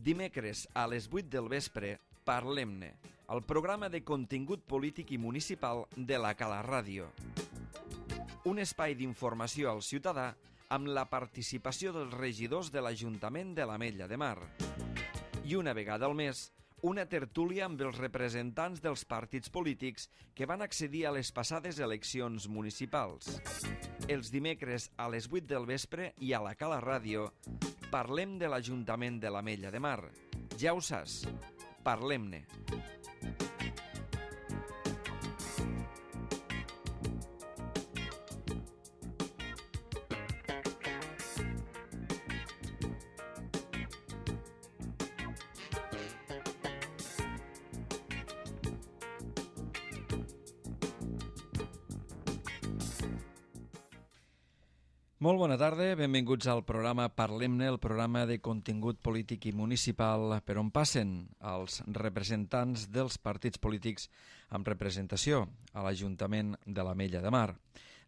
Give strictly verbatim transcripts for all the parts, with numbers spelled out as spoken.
Dimecres a les vuit del vespre, Parlem-ne, el programa de contingut polític i municipal de la Cala Ràdio. Un espai d'informació al ciutadà amb la participació dels regidors de l'Ajuntament de l'Ametlla de Mar. I una vegada al mes, una tertúlia amb els representants dels partits polítics que van accedir a les passades eleccions municipals. Els dimecres a les vuit del vespre i a la Cala Ràdio parlem de l'Ajuntament de l'Ametlla de Mar. Ja ho saps, parlem-ne. Molt bona tarda, benvinguts al programa Parlem-ne, el programa de contingut polític i municipal per on passen els representants dels partits polítics amb representació a l'Ajuntament de l'Ametlla de Mar.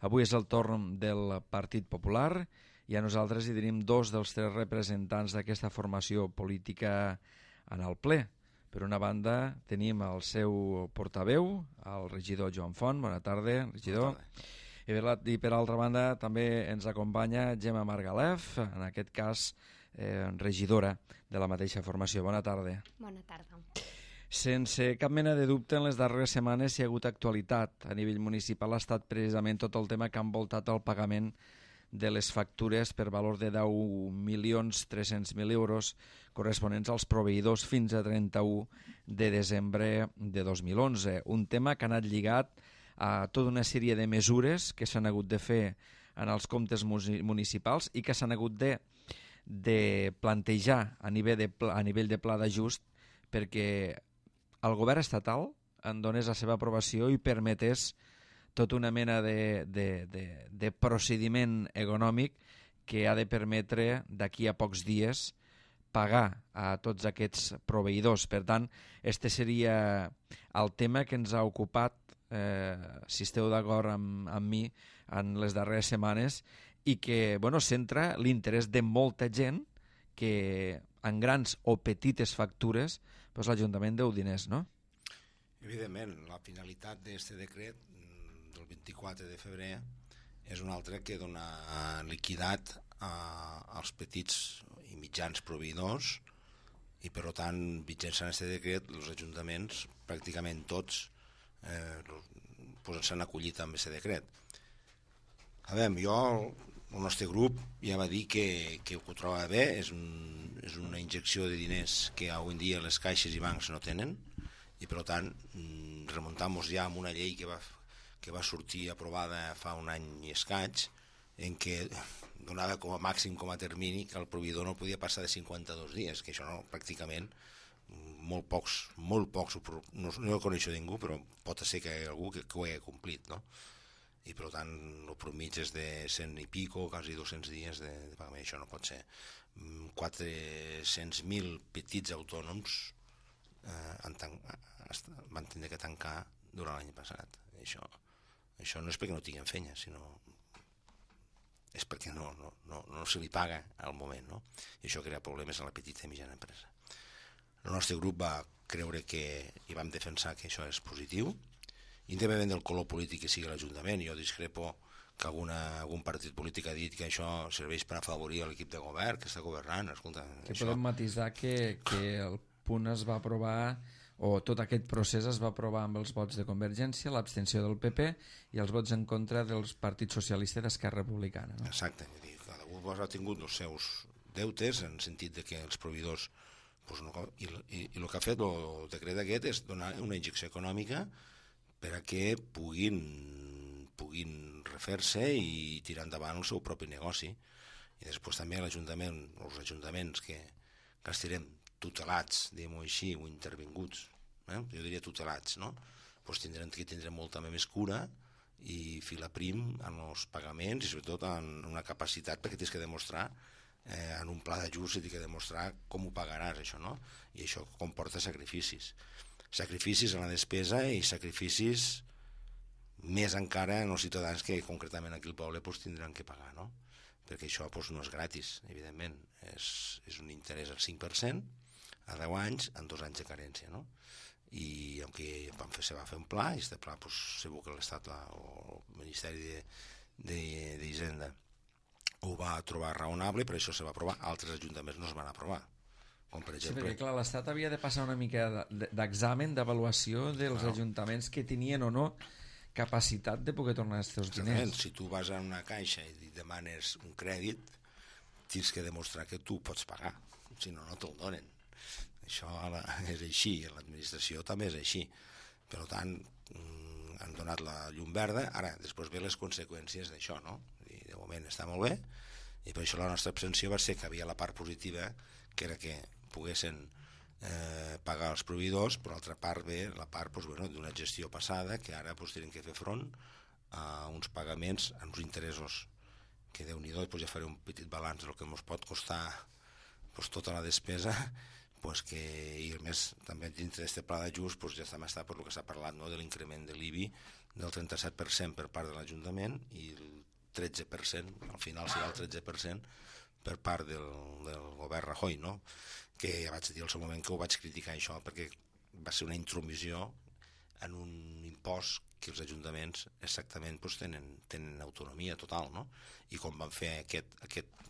Avui és el torn del Partit Popular i a nosaltres hi tenim dos dels tres representants d'aquesta formació política en el ple. Per una banda tenim el seu portaveu, el regidor Joan Font. Bona tarda, regidor. Bona tarda. I per altra banda també ens acompanya Gemma Margalef, en aquest cas eh, regidora de la mateixa formació. Bona tarda. Bona tarda. Sense cap mena de dubte, en les darreres setmanes hi ha hagut actualitat a nivell municipal. Ha estat precisament tot el tema que ha envoltat el pagament de les factures per valor de deu milions tres-cents mil euros corresponents als proveïdors fins a trenta-u de desembre de dos mil onze. Un tema que ha anat lligat a tota una sèrie de mesures que s'han hagut de fer en els comptes municipals i que s'han hagut de, de plantejar a nivell de, a nivell de pla d'ajust perquè el govern estatal en donés la seva aprovació i permetés tota una mena de, de, de, de procediment econòmic que ha de permetre d'aquí a pocs dies pagar a tots aquests proveïdors. Per tant, este seria el tema que ens ha ocupat, eh, si esteu d'acord amb, amb mi, en les darreres setmanes i que bueno, centra l'interès de molta gent que en grans o petites factures doncs l'Ajuntament deu diners, no? Evidentment, la finalitat d'aquest decret del vint-i-quatre de febrer és una altra que dona liquidat a, als petits i mitjans proveïdors i per tant mitjançant aquest decret els ajuntaments pràcticament tots eh, pues s'han acollit amb aquest decret. A veure, jo el nostre grup ja va dir que, que ho trobava bé, és, un, és una injecció de diners que avui en dia les caixes i bancs no tenen i per tant remuntam-nos ja amb una llei que va que va sortir aprovada fa un any i escaig, en què donava com a màxim, com a termini, que el proveïdor no podia passar de cinquanta-dos dies, que això no, pràcticament, molt pocs, molt pocs, no, no coneixo ningú, però pot ser que hi ha algú que, que ho hagi complit, no? I per tant, el promig és de cent i pico, quasi dos-cents dies de, de pagament, això no pot ser. quatre-cents mil petits autònoms eh, han tan, van tindre que tancar durant l'any passat, això... Això no és perquè no tinguin feina, sinó és perquè no, no, no, no se li paga al moment, no? I això crea problemes a la petita i mitjana empresa. El nostre grup va creure que, i vam defensar que això és positiu, independentment del color polític que sigui l'Ajuntament. Jo discrepo que alguna, algun partit polític ha dit que això serveix per afavorir l'equip de govern, que està governant. Escolta, que això... podem matisar que, que el punt es va aprovar o tot aquest procés es va aprovar amb els vots de Convergència, l'abstenció del P P i els vots en contra dels partits socialistes d'Esquerra Republicana, no? Exacte, dir, cada un ha tingut els seus deutes en el sentit de que els proveïdors pues, no, i, i, i el que ha fet el decret aquest és donar una injecció econòmica per a que puguin puguin refer-se i tirar endavant el seu propi negoci. I després també l'Ajuntament, els ajuntaments que, que estirem tutelats, diguem-ho així, o intervinguts, eh? Jo diria tutelats, no? Pues tindrem que tindre molta més cura i filar prim en els pagaments i sobretot en una capacitat perquè tens que demostrar eh, en un pla d'ajust tens que demostrar com ho pagaràs, això, no? I això comporta sacrificis. Sacrificis en la despesa i sacrificis més encara en els ciutadans que concretament aquí al poble pues, tindran que pagar, no? Perquè això pues, no és gratis, evidentment, és, és un interès al cinc per cent a deu anys amb dos anys de carència, no? I aunque van fer, se va fer un pla, i aquest pla pues, segur que l'Estat o el Ministeri d'Hisenda ho va trobar raonable, per això se va aprovar. Altres ajuntaments no es van aprovar, com per exemple... Sí, perquè clar, l'Estat havia de passar una mica d'examen, d'avaluació dels Claro. ajuntaments que tenien o no capacitat de poder tornar els teus diners. Si tu vas a una caixa i demanes un crèdit, tens que demostrar que tu pots pagar, si no, no te'l donen. Això és així, l'administració també és així. Per tant, han donat la llum verda, ara, després ve les conseqüències d'això, no? I de moment està molt bé, i per això la nostra abstenció va ser que havia la part positiva, que era que poguessin eh, pagar els proveïdors, per altra part ve la part pues, bueno, d'una gestió passada, que ara pues, tenen que fer front a uns pagaments, a uns interessos, que Déu-n'hi-do, pues, ja faré un petit balanç del que ens pot costar pues, tota la despesa, pues que, i a més també dintre d'aquest pla d'ajust pues, ja està per lo que s'ha parlat, no? De l'increment de l'I B I del trenta-set per cent per part de l'Ajuntament i el tretze per cent, al final serà el tretze per cent per part del, del govern Rajoy, no? Que ja vaig dir al seu moment que ho vaig criticar això perquè va ser una intromissió en un impost que els ajuntaments exactament pues, tenen, tenen autonomia total, no? I com van fer aquest, aquest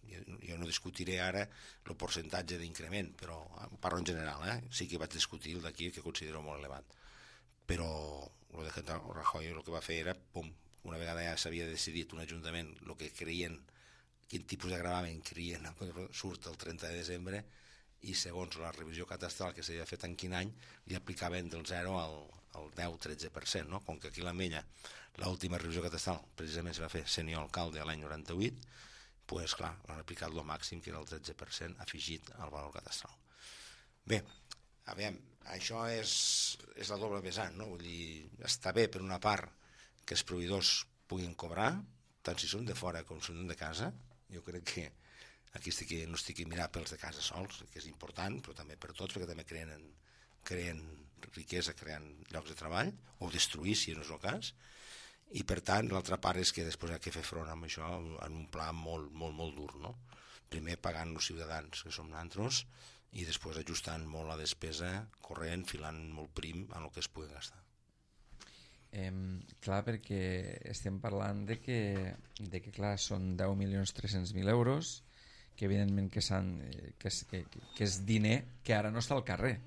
jo no discutiré ara el percentatge d'increment, però parlo en general, eh? Sí que vaig discutir el d'aquí que considero molt elevat, però el de Rajoy el que va fer era, pum, una vegada ja s'havia decidit un ajuntament el que creien, quin tipus de gravamen creien, surt el trenta de desembre i segons la revisió catastral que s'havia fet en quin any li aplicaven del zero al, al deu tretze per cent, no? Com que aquí a l'Ametlla l'última revisió catastral precisament se va fer senyor alcalde l'any noranta-vuit, pues clar, l'han aplicat el màxim, que era el tretze per cent afegit al valor catastral. Bé, a veure, això és, és la doble vessant, no? Vull dir, està bé per una part que els proveïdors puguin cobrar, tant si són de fora com si són de casa. Jo crec que aquí estic, no estic a mirar pels de casa sols, que és important, però també per tots, perquè també creen, creen riquesa, creen llocs de treball, o destruir, si no és el cas. I per tant, l'altra part és que després hi ha que fer front amb això en un pla molt, molt, molt dur, no? Primer pagant els ciutadans, que som nosaltres, i després ajustant molt la despesa corrent, filant molt prim en el que es pugui gastar. Eh, clar, perquè estem parlant de que, de que clar, són deu milions tres-cents mil euros, que evidentment que, que, és, que, que és diner que ara no està al carrer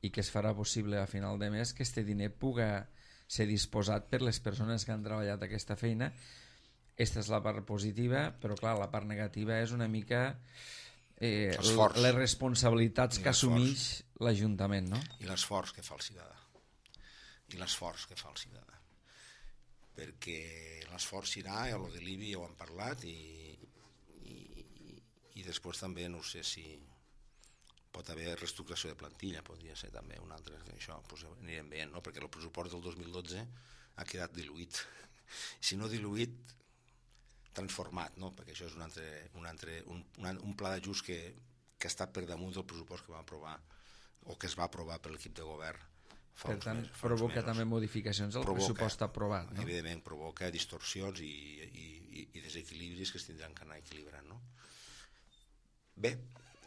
i que es farà possible a final de mes que este diner puga ser disposat per les persones que han treballat aquesta feina. Aquesta és la part positiva, però clar, la part negativa és una mica eh, les responsabilitats que assumeix l'Ajuntament, no? I l'esforç que fa el ciutadà. I l'esforç que fa el ciutadà. Perquè l'esforç serà, ja el de l'I B I ja ho hem parlat, i, i, i després també no sé si pot haver reestructuració de plantilla, podria ser també un altre, això pues, anirem veient, no? Perquè el pressupost del dos mil dotze ha quedat diluït. Si no diluït, transformat, no? Perquè això és un, altre, un, altre, un, un pla d'ajust que, que està per damunt del pressupost que va aprovar o que es va aprovar per l'equip de govern. Per tant, mesos, provoca també modificacions al provoca, pressupost aprovat, no? Evidentment, provoca distorsions i, i, i, i desequilibris que es tindran que anar equilibrant, no? Bé,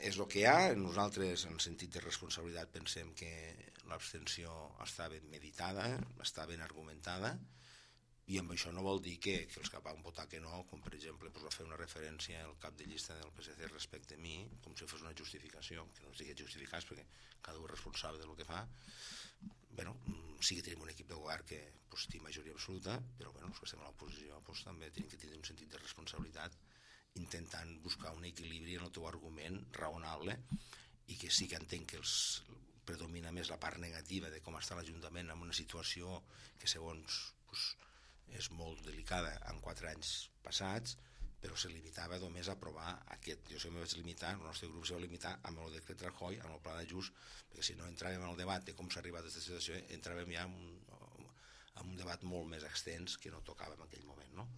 és el que hi ha. Nosaltres, en sentit de responsabilitat, pensem que l'abstenció està ben meditada, està ben argumentada, i amb això no vol dir que, que els que van votar que no, com per exemple pues, va fer una referència al cap de llista del P S C respecte a mi, com si fos una justificació, que no estigui justificat perquè cada un és responsable del que fa. Bueno, sí que tenim un equip de govern que pues, té majoria absoluta, però bueno, els que estem a l'oposició pues, també tenim que tenir un sentit de responsabilitat intentant buscar un equilibri en el teu argument raonable, i que sí que entenc que els predomina més la part negativa de com està l'Ajuntament en una situació que segons pues, és molt delicada en quatre anys passats, però se limitava només a aprovar aquest. Jo me vaig limitar, el nostre grup se va limitar amb el decret Rajoy, amb el pla d'ajust, perquè si no entràvem en el debat de com s'ha arribat a aquesta situació, entràvem ja en un, en un debat molt més extens que no tocava en aquell moment, no?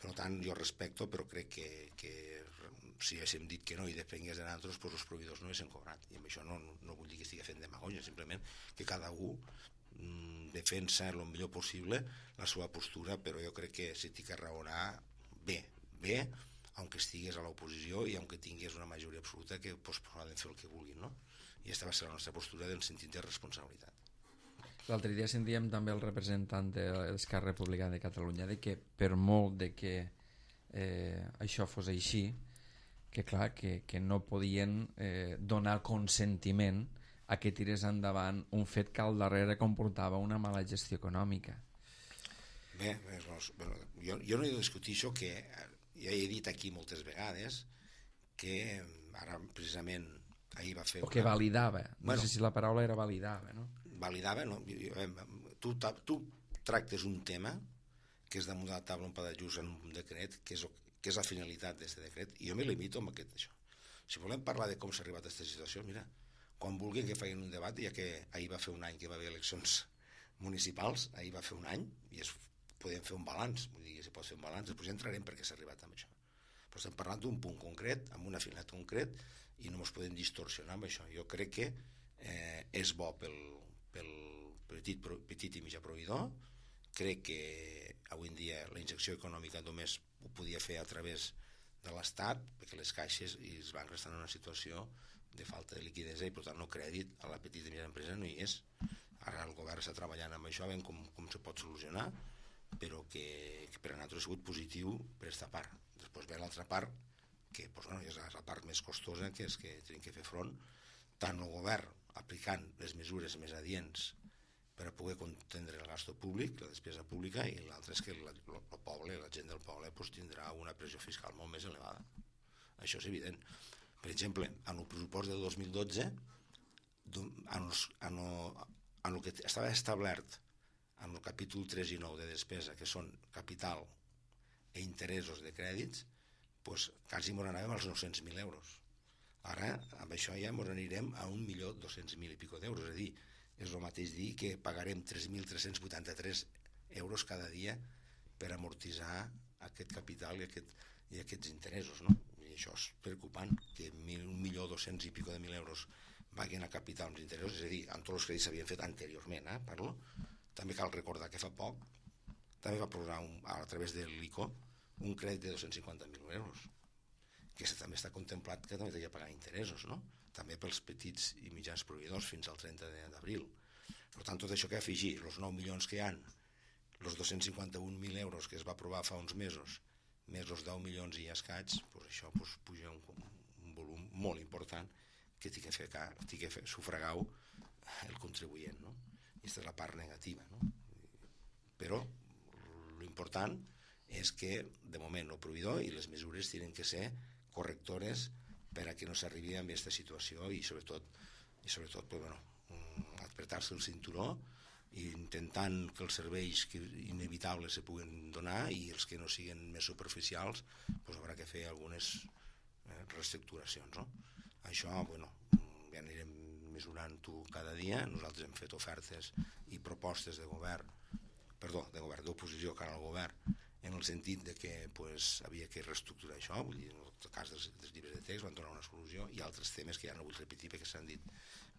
Per tant, jo respecto, però crec que, que si haguéssim dit que no i depengués de nosaltres, doncs els proveïdors no haguessin cobrat. I amb això no, no vull dir que estigui fent demagogia, simplement que cada un mm, defensa el millor possible la seva postura, però jo crec que si tinc que raonar bé, bé, aunque estigués a l'oposició i aunque tingués una majoria absoluta que pues, poden fer el que vulguin, no? I aquesta va ser la nostra postura en sentit de responsabilitat. L'altre dia sentíem també el representant de l'Esquerra Republicana de Catalunya de que per molt de que eh, això fos així, que clar, que, que no podien eh, donar consentiment a que tirés endavant un fet que al darrere comportava una mala gestió econòmica. Bé, bueno, jo, jo no he de discutir això, que ja he dit aquí moltes vegades que ara precisament ahir va fer... O que una... validava, no bueno, sé si la paraula era validava, no? Validava, no? Tu, tu tractes un tema que és damunt de la taula un pla d'ajust en un decret, que és, que és la finalitat d'aquest decret, i jo me limito amb aquest això. Si volem parlar de com s'ha arribat a aquesta situació, mira, quan vulguin que facin un debat, ja que ahir va fer un any que va haver eleccions municipals, ahir va fer un any, i es podem fer un balanç, vull dir, si pot fer un balanç, després ja entrarem perquè s'ha arribat amb això. Però estem parlant d'un punt concret, amb una finalitat concret, i no ens podem distorsionar amb això. Jo crec que eh, és bo pel, pel petit, petit i mitjà proveïdor. Crec que avui en dia la injecció econòmica només ho podia fer a través de l'Estat, perquè les caixes i els bancs estan en una situació de falta de liquidesa i per tant no crèdit a la petita i mitjana empresa no hi és. Ara el govern està treballant amb això, veient com, com se pot solucionar, però que, que per a nosaltres ha sigut positiu per aquesta part. Després ve l'altra part, que pues, bueno, és la part més costosa, que és que tenim que fer front, tant el govern aplicant les mesures més adients per a poder contendre el gasto públic, la despesa pública, i l'altre és que el, el poble, la gent del poble, pues, tindrà una pressió fiscal molt més elevada. Això és evident. Per exemple, en el pressupost del dos mil dotze, en, els, en, el, en el que estava establert en el capítol tres i nou de despesa, que són capital i interessos de crèdits, doncs quasi ens n'anàvem als nou-cents mil euros. Ara, amb això ja ens anirem a un milió dos-cents mil i pico d'euros. És a dir, és el mateix dir que pagarem tres mil tres-cents vuitanta-tres euros cada dia per amortitzar aquest capital i, aquest, i aquests interessos, no? I això és preocupant, que un milió dos-cents i pico de mil euros vagin a capital amb interessos, és a dir, amb tots els crèdits s'havien fet anteriorment, eh, parlo. També cal recordar que fa poc també va proposar un, a través de l'I C O un crèdit de dos-cents cinquanta mil euros, que també està contemplat que també havia de pagar interessos, no? També pels petits i mitjans proveïdors fins al trenta d'abril. Per tant, tot això que afegir, els nou milions que hi ha, els dos-cents cinquanta-un mil euros que es va aprovar fa uns mesos, més els deu milions i escaig, doncs això doncs, puja un, un volum molt important que té que fer, té que fer sufragar el contribuent, no? I aquesta és la part negativa, no? Però l'important és que de moment el proveïdor i les mesures tenen que ser correctores per a que no s'arribi a aquesta situació i sobretot, i sobretot pues, bueno, apretar-se el cinturó i intentant que els serveis que inevitables se puguen donar i els que no siguin més superficials pues, haurà que fer algunes eh, reestructuracions, no? Això, bueno, ja anirem mesurant-ho cada dia. Nosaltres hem fet ofertes i propostes de govern, perdó, de govern d'oposició cara al govern, en el sentit de que pues, havia que reestructurar això, vull dir, en el cas dels, dels llibres de text van donar una solució i altres temes que ja no vull repetir perquè s'han dit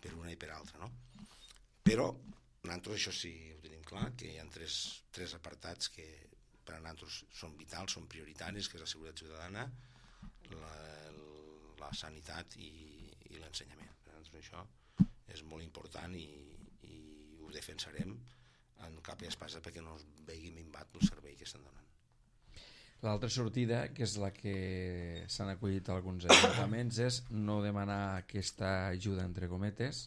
per una i per altra, no? Però nosaltres això sí ho tenim clar, que hi ha tres, tres apartats que per a nosaltres són vitals, són prioritaris, que és la seguretat ciutadana, la, la sanitat i, i l'ensenyament. Per a nosaltres això és molt important i, i ho defensarem en cap i espasa perquè no es vegi minvat el servei que estan donant. L'altra sortida, que és la que s'han acollit alguns ajuntaments, és no demanar aquesta ajuda entre cometes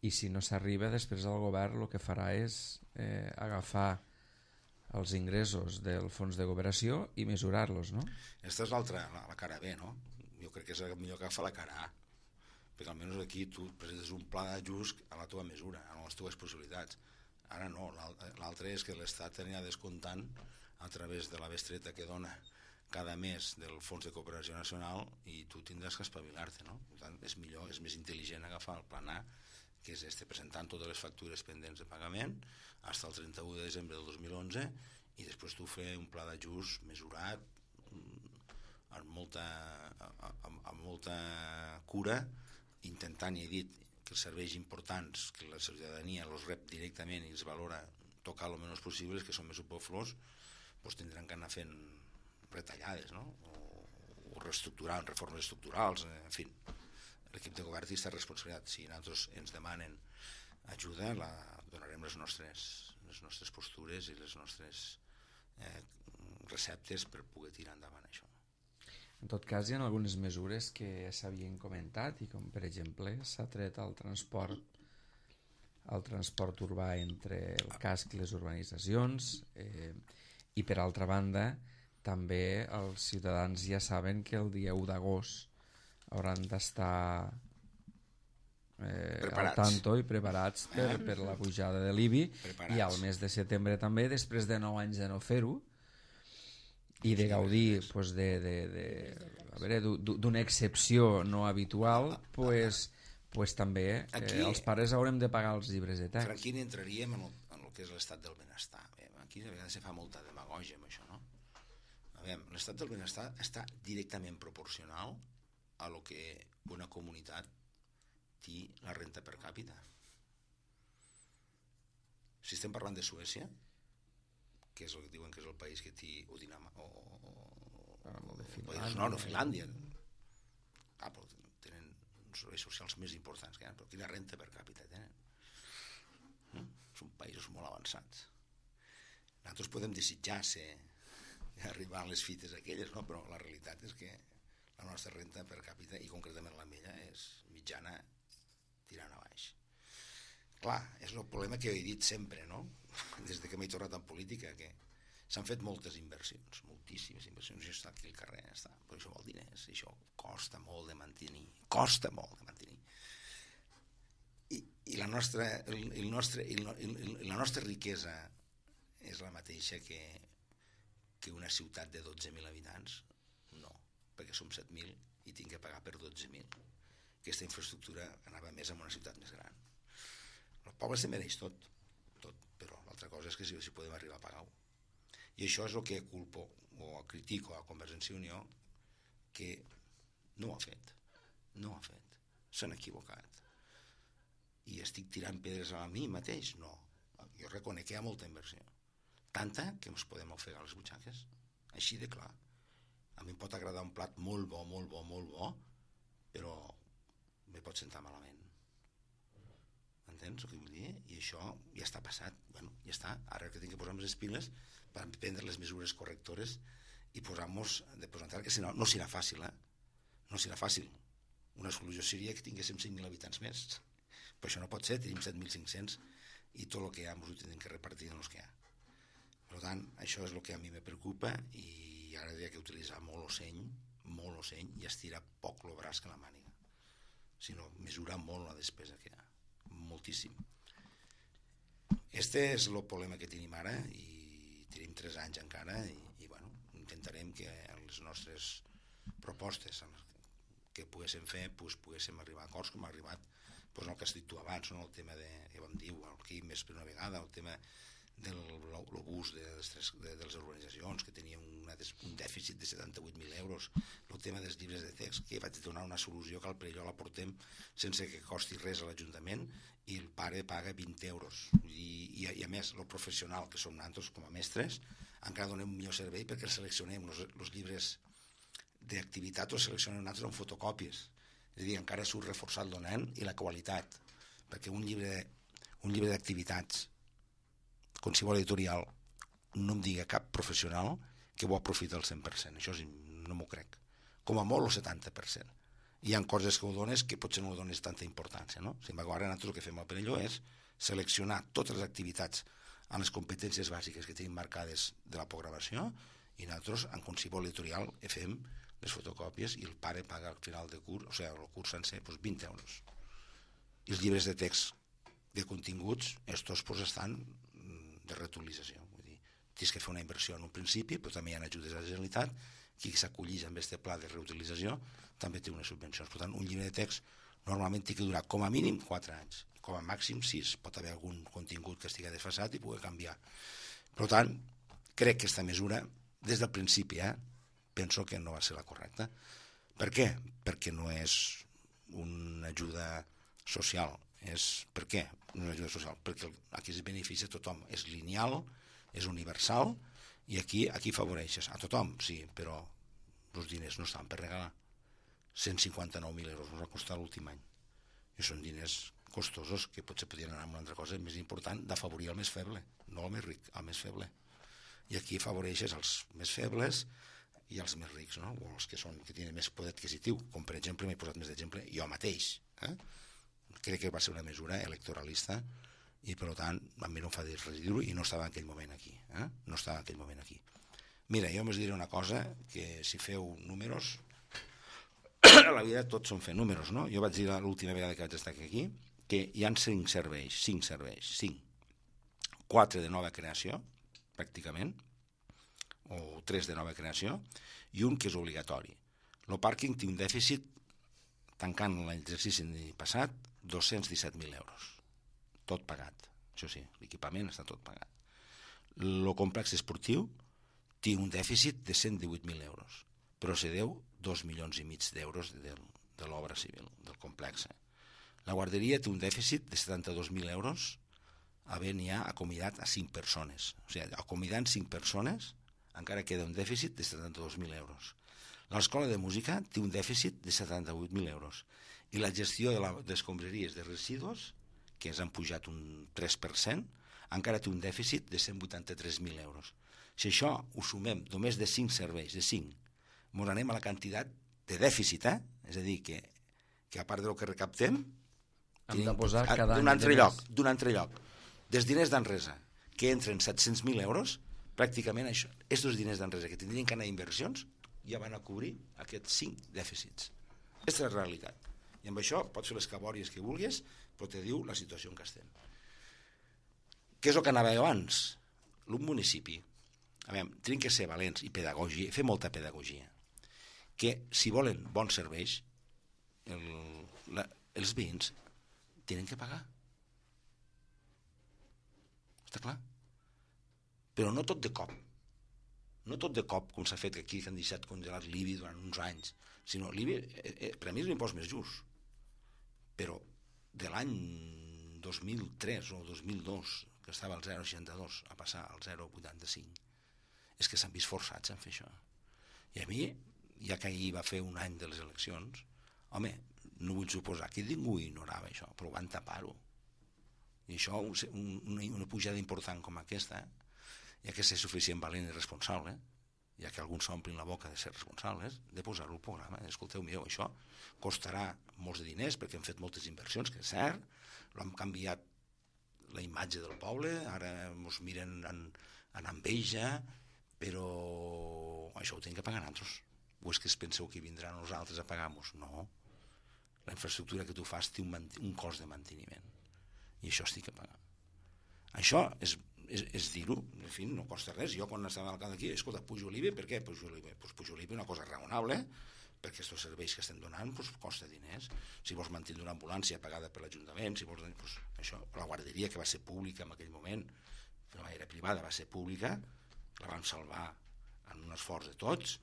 i si no s'arriba, després el govern el que farà és eh, agafar els ingressos del fons de cooperació i mesurar-los, no? Aquesta és l'altra, la, la cara B, no? Jo crec que és el millor que agafar la cara A, perquè almenys aquí tu presentes un pla d'ajust a la teva mesura, a les teves possibilitats. Ara no, l'altre és que l'Estat anirà descomptant a través de la bestreta que dona cada mes del Fons de Cooperació Nacional i tu tindràs que espavilar-te, no? Per tant, és millor, és més intel·ligent agafar el plan A, que és este, presentant totes les factures pendents de pagament fins al trenta-u de desembre del dos mil onze i després tu fer un pla d'ajust mesurat amb molta, amb, amb molta cura, intentant, ja he dit, que els serveis importants, que la ciutadania els rep directament i els valora tocar el menys possible, que són més superflus, doncs tindran que anar fent retallades, no? O o reestructurar, reformes estructurals, en fi. L'equip de govern té aquesta responsabilitat. Si nosaltres ens demanen ajuda, la donarem les nostres, les nostres postures i les nostres eh, receptes per poder tirar endavant això. En tot cas, hi ha algunes mesures que s'havien comentat i com, per exemple, s'ha tret el transport el transport urbà entre el casc i les urbanitzacions eh, i per altra banda també els ciutadans ja saben que el dia u d'agost hauran d'estar eh, al tanto i preparats per, per la pujada de l'I B I preparats. I al mes de setembre també, després de nou anys de no fer-ho i de gaudir pues, de, de, de, a veure, d'una excepció no habitual, pues, pues també eh, aquí, els pares haurem de pagar els llibres de text. Aquí entraríem en el, en el que és l'estat del benestar. Aquí a vegades se fa molta demagògia amb això, no? A veure, l'estat del benestar està directament proporcional a lo que una comunitat té la renta per càpita. Si estem parlant de Suècia, que és el que diuen que és el país que té, o Dinamarca, o, o, o de Finlàndia, no, no, Finlàndia. Ah, però tenen uns serveis socials més importants que hi ha, però quina renta per càpita tenen. No? Són països molt avançats. Nosaltres podem desitjar ser, arribar a les fites aquelles, no? Però la realitat és que la nostra renta per càpita, i concretament la meva, és mitjana tirant a baix. Clar, és el problema que he dit sempre, no? Des de que m'he tornat en política, que s'han fet moltes inversions, moltíssimes inversions, jo he estat aquí al carrer, està, però això vol diners, això costa molt de mantenir, costa molt de mantenir. I, i la, nostra, el, el nostre, el, el, la nostra riquesa és la mateixa que, que una ciutat de dotze mil habitants? No, perquè som set mil i tinc que pagar per dotze mil. Aquesta infraestructura anava més en una ciutat més gran. El poble se mereix tot, tot, però l'altra cosa és que si, si podem arribar a pagar-ho. I això és el que culpo o critico a Convergència i Unió, que no ho ha fet, no ho ha fet, s'han equivocat. I estic tirant pedres a mi mateix? No, jo reconec que hi ha molta inversió, tanta que ens podem ofegar les butxaques, així de clar. A mi em pot agradar un plat molt bo, molt bo, molt bo, però me pot sentar malament. Entens el que vull dir? I això ja està passat. Bueno, ja està. Ara que tinc que posar-nos les piles per prendre les mesures correctores i posar-nos de posar que si no, no serà fàcil, eh? No serà fàcil. Una solució seria que tinguéssim cinc mil habitants més. Però això no pot ser, tenim set mil cinc-cents i tot el que hi ha ens ho tenim que repartir en els que hi ha. Per tant, això és el que a mi me preocupa i ara hi ha que utilitzar molt l'ocell, molt l'ocell i estirar poc el braç que la màniga. Sinó mesurar molt la despesa que hi ha. Moltíssim. Este és el problema que tenim ara i tenim tres anys encara i, i bueno, intentarem que les nostres propostes que poguéssim fer pues, poguéssim arribar a acords com ha arribat pues, el que has dit tu abans, no? El tema de, ja vam dir, el Quim més per una vegada, el tema del l'obús de, de, de les urbanitzacions, que tenia una, un dèficit de setanta-vuit mil euros, el tema dels llibres de text, que vaig donar una solució que al Perelló la portem sense que costi res a l'Ajuntament i el pare paga vint euros. I, i, i a més, el professional que som nosaltres com a mestres, encara donem un millor servei perquè seleccionem els llibres d'activitat, els seleccionem nosaltres amb fotocòpies. És a dir, encara surt reforçat el nen i la qualitat, perquè un llibre, un llibre d'activitats com si vol editorial, no em diga cap professional que ho aprofita al cent per cent. Això sí, no m'ho crec. Com a molt el setanta per cent. Hi ha coses que ho dones que potser no ho dones tanta importància, no? Sin embargo, ara nosaltres el que fem al Perelló és seleccionar totes les activitats en les competències bàsiques que tenim marcades de la programació i nosaltres, en qualsevol editorial, fem les fotocòpies i el pare paga al final de curs, o sigui, el curs sencer, doncs vint euros. I els llibres de text de continguts, estos pues, estan de reutilització. Vull dir, tens que fer una inversió en un principi, però també hi ha ajudes a la Generalitat, qui s'acolleix amb aquest pla de reutilització també té unes subvencions. Per tant, un llibre de text normalment té que durar com a mínim quatre anys, com a màxim sis. Pot haver algun contingut que estigui desfasat i pugui canviar. Per tant, crec que aquesta mesura, des del principi, eh, penso que no va ser la correcta. Per què? Perquè no és una ajuda social. És, per què? Una ajuda social. Perquè aquí es beneficia a tothom. És lineal, és universal, i aquí, aquí favoreixes a tothom, sí, però Els diners no estaven per regalar. cent cinquanta-nou mil euros ens va costar l'últim any. I són diners costosos que potser podrien anar amb una altra cosa més important, d'afavorir el més feble, no el més ric, el més feble. I aquí afavoreixes els més febles i els més rics, no? O els que, són, que tenen més poder adquisitiu, com per exemple, m'he posat més d'exemple, jo mateix. Eh? Crec que va ser una mesura electoralista i per tant a mi no em fa dir res dir-ho i no estava en aquell moment aquí. Eh? No estava en aquell moment aquí. Mira, jo us diré una cosa, que si feu números, a la vida tots són fer números, no? Jo vaig dir l'última vegada que vaig estar aquí que hi ha cinc serveis, cinc serveis, cinc. Quatre de nova creació, pràcticament, o tres de nova creació, i un que és obligatori. El pàrquing té un dèficit, tancant l'exercici passat, dos-cents disset mil euros. Tot pagat. Això sí, l'equipament està tot pagat. El complex esportiu té un dèficit de cent divuit mil euros, però se deu dos milions i mig d'euros de, de l'obra civil, del complex. La guarderia té un dèficit de setanta-dos mil euros, havent ja acomiadat a cinc persones. O sigui, acomidant cinc persones, encara queda un dèficit de setanta-dos mil euros. L'escola de música té un dèficit de setanta-vuit mil euros. I la gestió de les escombraries de residus, que ens han pujat un tres per cent, encara té un dèficit de cent vuitanta-tres mil euros. Si això ho sumem només de cinc serveis, de cinc, ens anem a la quantitat de dèficit, eh? És a dir, que, que a part del que recaptem, hem de posar cada any d'un altre lloc, d'un altre lloc, dels diners d'Enresa, que entren set-cents mil euros, pràcticament això, aquests diners d'Enresa que tindrien que anar a inversions, ja van a cobrir aquests cinc dèficits. Aquesta és la realitat. I amb això pots fer les cabòries que vulguis, però te diu la situació en què estem. Què és el que anava abans? L'un municipi, a veure, tenen que ser valents i pedagogia, fer molta pedagogia, que si volen bons serveis, el, la, els veïns tenen que pagar. Està clar? Però no tot de cop. No tot de cop, com s'ha fet aquí, que han deixat congelat l'I B I durant uns anys, sinó l'I B I, eh, eh, per a mi és l'impost més just. Però de l'any dos mil tres o dos mil dos, que estava al zero coma seixanta-dos, a passar al zero coma vuitanta-cinc, és que s'han vist forçats en fer això. I a mi, ja que ahir va fer un any de les eleccions, home, no vull suposar que ningú ignorava això, però van tapar-ho. I això, un, una pujada important com aquesta, hi ha que ser suficient valent i responsable, ja que alguns s'omplin la boca de ser responsables, de posar-ho al programa. Escolteu, mireu, això costarà molts de diners perquè hem fet moltes inversions, que és cert, l'hem canviat la imatge del poble, ara ens miren en, en enveja, però això ho tenim que pagar nosaltres. O és que es penseu que vindran els altres a pagar-nos? No. La infraestructura que tu fas té un, un cost de manteniment i això es té que pagar. Això és, és, és dir-ho, en fi, no costa res. Jo quan estava alcalde aquí, escolta, pujo l'I B I, per què pujo l'I B I? Pues pujo l'I B I una cosa raonable, perquè aquests serveis que estem donant pues, costa diners. Si vols mantenir una ambulància pagada per l'Ajuntament, si vols, pues, això, la guarderia que va ser pública en aquell moment, que no era privada, va ser pública, la vam salvar en un esforç de tots,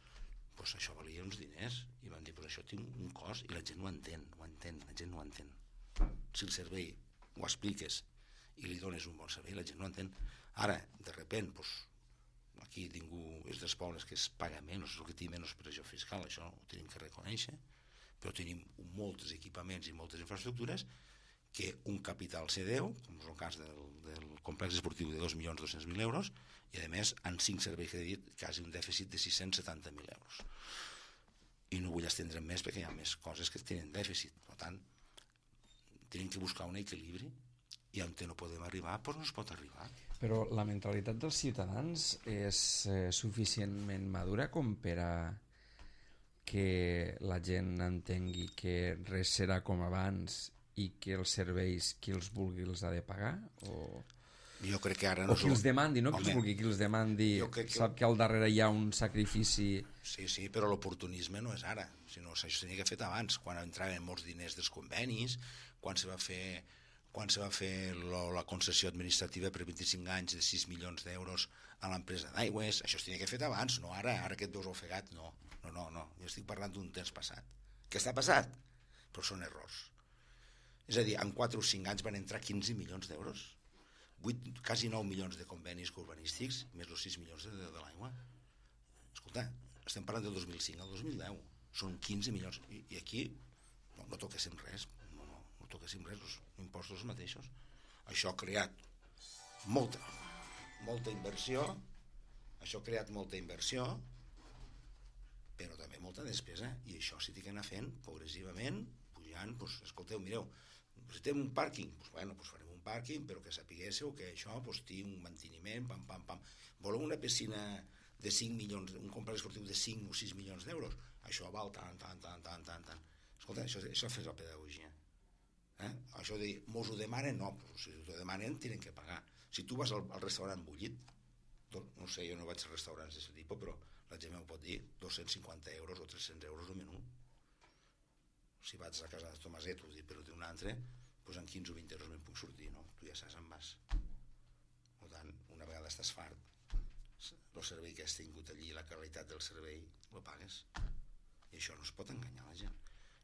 pues això valia uns diners i van dir, pues això té un cost i la gent ho entén, ho entén, la gent no ho entén. Si el servei ho expliques i li dones un bon servei, la gent no ho entén. Ara, de repent, pues, aquí ningú és dels pobles que es paga menys, és el que té menys pressió fiscal, això ho tenim que reconèixer, però tenim molts equipaments i moltes infraestructures que un capital se deu, com és el cas del, del complex esportiu de dos milions dos-cents mil euros, i a més en cinc serveis que he dit quasi un dèficit de sis-cents setanta mil euros. I no vull estendre'm més perquè hi ha més coses que tenen dèficit. Per tant, tenim que buscar un equilibri i on no podem arribar, doncs no es pot arribar. Però la mentalitat dels ciutadans és eh, suficientment madura com per a que la gent entengui que res serà com abans i que els serveis qui els vulgui els ha de pagar? O... Jo crec que ara no... O qui els demandi, no qui els vulgui, qui els demandi, que... sap que al darrere hi ha un sacrifici... Sí, sí, però l'oportunisme no és ara, sinó que això s'havia que fet abans, quan entraven molts diners dels convenis, quan se va fer, quan se va fer lo, la concessió administrativa per vint-i-cinc anys de sis milions d'euros a l'empresa d'aigües, això s'havia que fet abans, no ara, ara que et veus ofegat, no, no, no, no, jo estic parlant d'un temps passat. Què està passat? Però són errors. És a dir, en quatre o cinc anys van entrar quinze milions d'euros, vuit, quasi nou milions de convenis urbanístics, més els sis milions de, de, de l'aigua. Escolta, estem parlant del dos mil cinc al dos mil deu, són quinze milions, i, i aquí no, no toquéssim res, no, no, no toquéssim res, els impostos els mateixos. Això ha creat molta, molta inversió, això ha creat molta inversió, però també molta despesa, i això s'hi té que anar fent progressivament, pujant, doncs, escolteu, mireu, necessitem un pàrquing, doncs, bueno, doncs farem un pàrquing, però que sapiguéssiu que això doncs, té un manteniment, pam, pam, pam. Voleu una piscina de cinc milions, un complex esportiu de cinc o sis milions d'euros, això val tant, tant, tant, tant, tant, tant. Escolta, això, això és la pedagogia. Eh? Això de dir, mos ho demanen, no, però si ho demanen, tenen que pagar. Si tu vas al, al restaurant bullit, tot, no sé, jo no vaig a restaurants d'aquest tipus, però la gent m'ho pot dir, dos-cents cinquanta euros o tres-cents euros el menú. Si vaig a casa de Tomaset, ho dic, però d'un altre, doncs en quinze o vint euros me'n puc sortir, no? Tu ja saps on vas. Per tant, una vegada estàs fart, el servei que has tingut allí, la qualitat del servei, el pagues. I això no es pot enganyar la gent.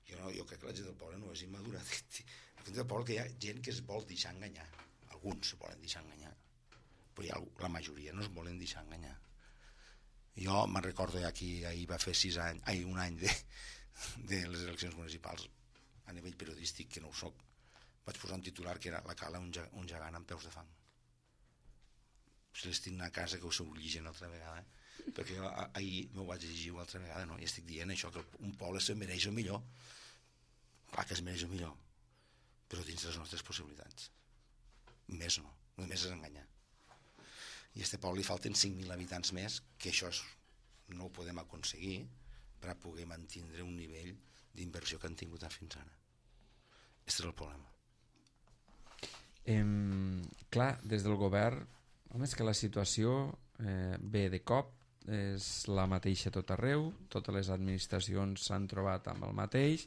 Jo, no, jo crec que la gent del poble no és immadura. La gent del poble que hi ha gent que es vol deixar enganyar. Alguns se volen deixar enganyar, però hi ha, la majoria no es volen deixar enganyar. Jo me'n recordo ja que ahir va fer sis anys, ai, un any de, de les eleccions municipals a nivell periodístic, que no ho soc, vaig posar un titular que era la cala un, un gegant amb peus de fang. Si l'estic a casa que ho sóc llegint altra vegada, perquè jo ahir m'ho vaig llegir una altra vegada, no? I estic dient això, que un poble se mereix el millor. Clar que es mereix el millor, però dins les nostres possibilitats. Més no, només és enganyar. I a este poble li falten cinc mil habitants més, que això és, no ho podem aconseguir per a poder mantindre un nivell d'inversió que han tingut fins ara. Aquest és el problema. Eh, clar, des del govern, home, és que la situació eh, ve de cop, és la mateixa tot arreu, totes les administracions s'han trobat amb el mateix,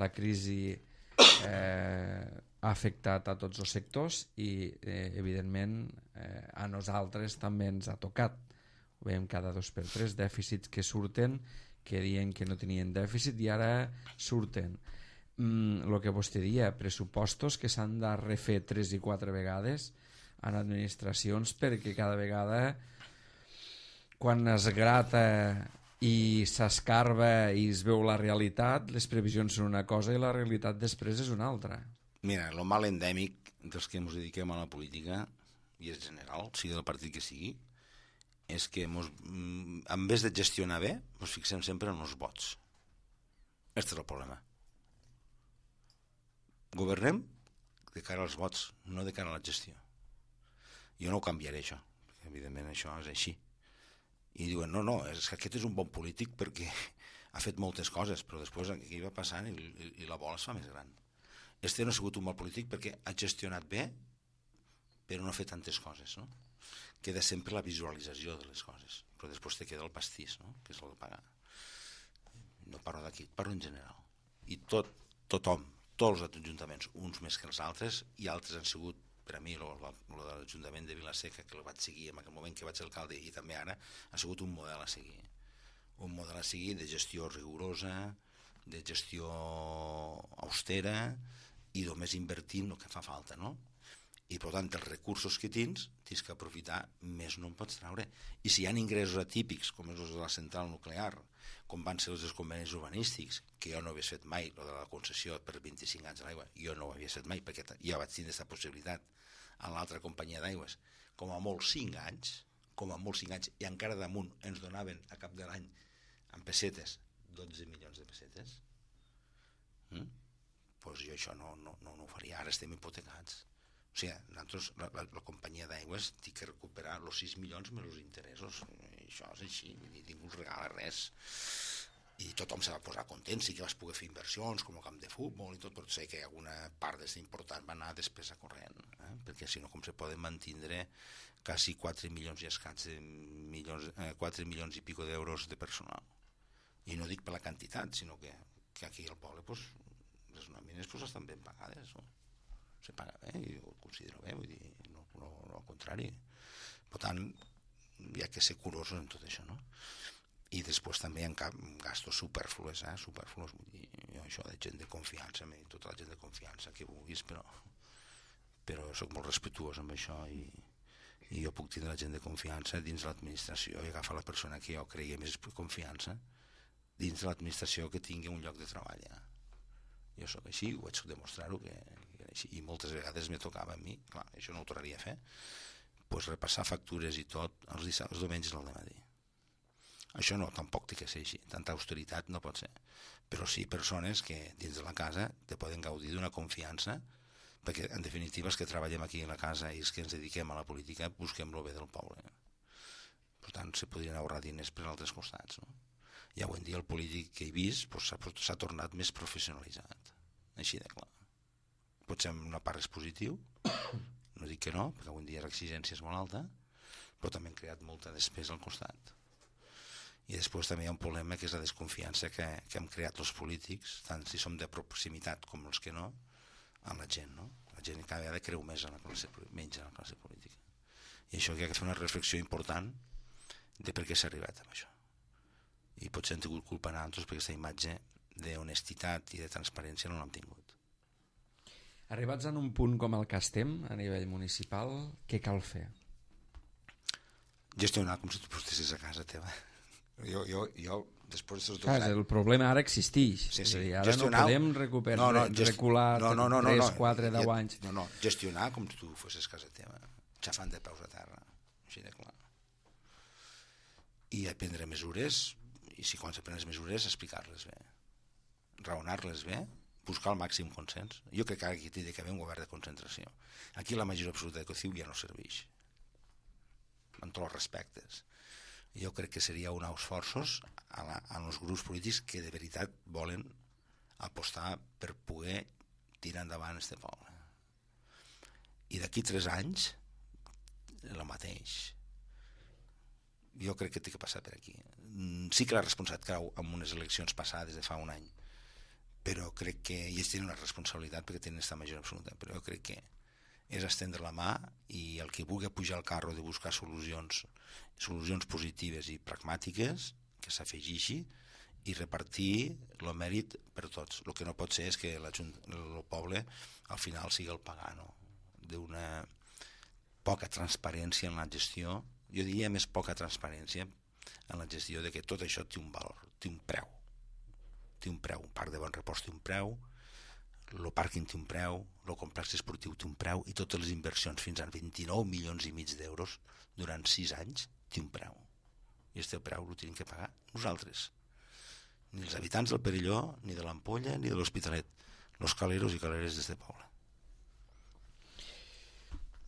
la crisi eh, ha afectat a tots els sectors i eh, evidentment eh, a nosaltres també ens ha tocat. Ho veiem cada dos per tres, dèficits que surten, que diuen que no tenien dèficit i ara surten. Mm, el que vostè dia, pressupostos que s'han de refer tres i quatre vegades en administracions, perquè cada vegada quan es grata i s'escarba i es veu la realitat, les previsions són una cosa i la realitat després és una altra. Mira, el mal endèmic dels que ens dediquem a la política, i és general, sigui del partit que sigui, és que mos, en vez de gestionar bé, ens fixem sempre en els vots. Aquest és el problema. Governem de cara als vots, no de cara a la gestió. Jo no ho canviaré, això, perquè evidentment això és així. I diuen, no, no, és que aquest és un bon polític perquè ha fet moltes coses, però després aquí va passant i, i, i la bola es fa més gran. Este no ha sigut un bon polític perquè ha gestionat bé, però no ha fet tantes coses, no? Queda sempre la visualització de les coses, però després te queda el pastís, no? Que és el de pagar. No parlo d'aquí, parlo en general. I tot, tothom, tots els ajuntaments, uns més que els altres, i altres han sigut, per a mi, el de l'Ajuntament de Vilaseca, que el vaig seguir en aquell moment que vaig ser alcalde i també ara, ha sigut un model a seguir. Un model a seguir de gestió rigorosa, de gestió austera i només invertint el que fa falta, no? I per tant, els recursos que tens, tens que aprofitar, més no en pots treure. I si hi ha ingressos atípics, com és els de la central nuclear, com van ser els dels convenis urbanístics, que jo no havia fet mai, el de la concessió per vint-i-cinc anys de l'aigua, jo no ho havia fet mai, perquè ja vaig tenir aquesta possibilitat en l'altra companyia d'aigües, com a molt cinc anys, com a molt cinc anys, i encara damunt ens donaven a cap de l'any, en pessetes, dotze milions de pessetes. Mm? Pues jo això no, no, no, no ho faria, ara estem hipotecats. O sigui, nosaltres, la, la, la companyia d'aigües té que recuperar els sis milions més els interessos. I això és així, ningú us regala res. I tothom se va posar content, sí que vas poder fer inversions com el camp de futbol i tot, però sé que alguna part d'aquesta important va anar a despesa corrent, eh? Perquè si no, com se poden mantindre quasi quatre milions i escats de milions, eh, quatre milions i pico d'euros de personal. I no dic per la quantitat, sinó que, que aquí al poble pues, les nòmines pues, estan ben pagades, no? Se paga bé, i ho considero bé, vull dir, no, no, no al contrari. Per tant, hi ha que ser curosos en tot això, no? I després també hi ha gastos superfluos, eh? Superfluos, vull dir, jo això de gent de confiança, tota la gent de confiança que vulguis, però, però soc molt respetuós amb això i, i jo puc tindre la gent de confiança dins l'administració i agafar la persona que jo creia més confiança dins de l'administració que tingui un lloc de treball. Ja. Jo sóc així, ho vaig demostrar-ho que, que era així, i moltes vegades me tocava a mi, clar, això no ho tornaria a fer, pues repassar factures i tot els dissabtes, els diumenges al dematí. Això no, tampoc té que ser així, tanta austeritat no pot ser, però sí persones que dins de la casa te poden gaudir d'una confiança, perquè en definitiva els que treballem aquí a la casa i els que ens dediquem a la política busquem el bé del poble. Per tant, se podrien ahorrar diners per altres costats. No? I avui en dia el polític que he vist pues, s'ha tornat més professionalitzat, així de clar. Potser en una part és positiu, no dic que no, perquè avui en dia l'exigència és molt alta, però també han creat molta despesa al costat. I després també hi ha un problema que és la desconfiança que, que hem creat els polítics, tant si som de proximitat com els que no, amb la gent, no? La gent cada vegada creu més en la classe, menys en la classe política. I això que hi ha que fer una reflexió important de per què s'ha arribat amb això. I potser hem tingut culpa a nosaltres perquè aquesta imatge d'honestitat i de transparència no l'hem tingut. Arribats en un punt com el que estem a nivell municipal, què cal fer? Gestionar com si tu estiguessis a casa teva. Jo, jo, jo després de dos Clar, anys... el problema ara existeix. Sí, sí. Dir, ara gestionar... no podem recuperar, no, no, gest... recular no, no, no, no, tres, no. quatre, deu anys. No, no, gestionar com si tu fossis casa teva, xafant de peus a terra, així de clar. I prendre mesures, i si quan se prenen mesures, explicar-les bé, raonar-les bé, buscar el màxim consens. Jo crec que aquí té d'haver un govern de concentració. Aquí la majoria absoluta de COCIU ja no serveix, amb tots els respectes. Jo crec que seria un esforços a, la, a els grups polítics que de veritat volen apostar per poder tirar endavant este poble. I d'aquí tres anys, el mateix. Jo crec que té que passar per aquí. Sí que la responsabilitat cau en unes eleccions passades de fa un any, però crec que ells tenen una responsabilitat perquè tenen aquesta majoria absoluta, però jo crec que és estendre la mà i el que vulgui pujar al carro de buscar solucions solucions positives i pragmàtiques que s'afegeixi i repartir el mèrit per tots. El que no pot ser és que la, el poble al final sigui el pagano d'una poca transparència en la gestió. Jo diria més poca transparència en la gestió de que tot això té un valor, té un preu. Té un preu, un parc de bon repòs té un preu, el pàrquing té un preu, el complex esportiu té un preu i totes les inversions fins a vint-i-nou milions i mig d'euros durant sis anys té un preu. I aquest preu el tenim que pagar nosaltres. Ni els habitants del Perelló, ni de l'Ampolla, ni de l'Hospitalet. Los caleros i caleres d'este poble.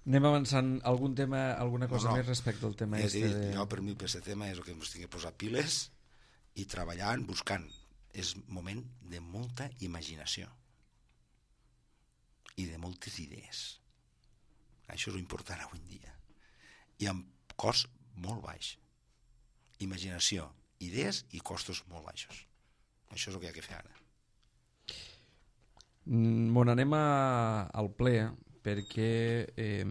Anem avançant. Algun tema, alguna cosa no, no. més respecte al tema és este dir, de... Jo per mi per aquest tema és el que ens tinc que posar piles i treballant, buscant. És moment de molta imaginació i de moltes idees. Això és important avui en dia. I amb cost molt baix. Imaginació, idees i costos molt baixos. Això és el que hi ha que fer ara. Bon, anem a, al ple, perquè eh,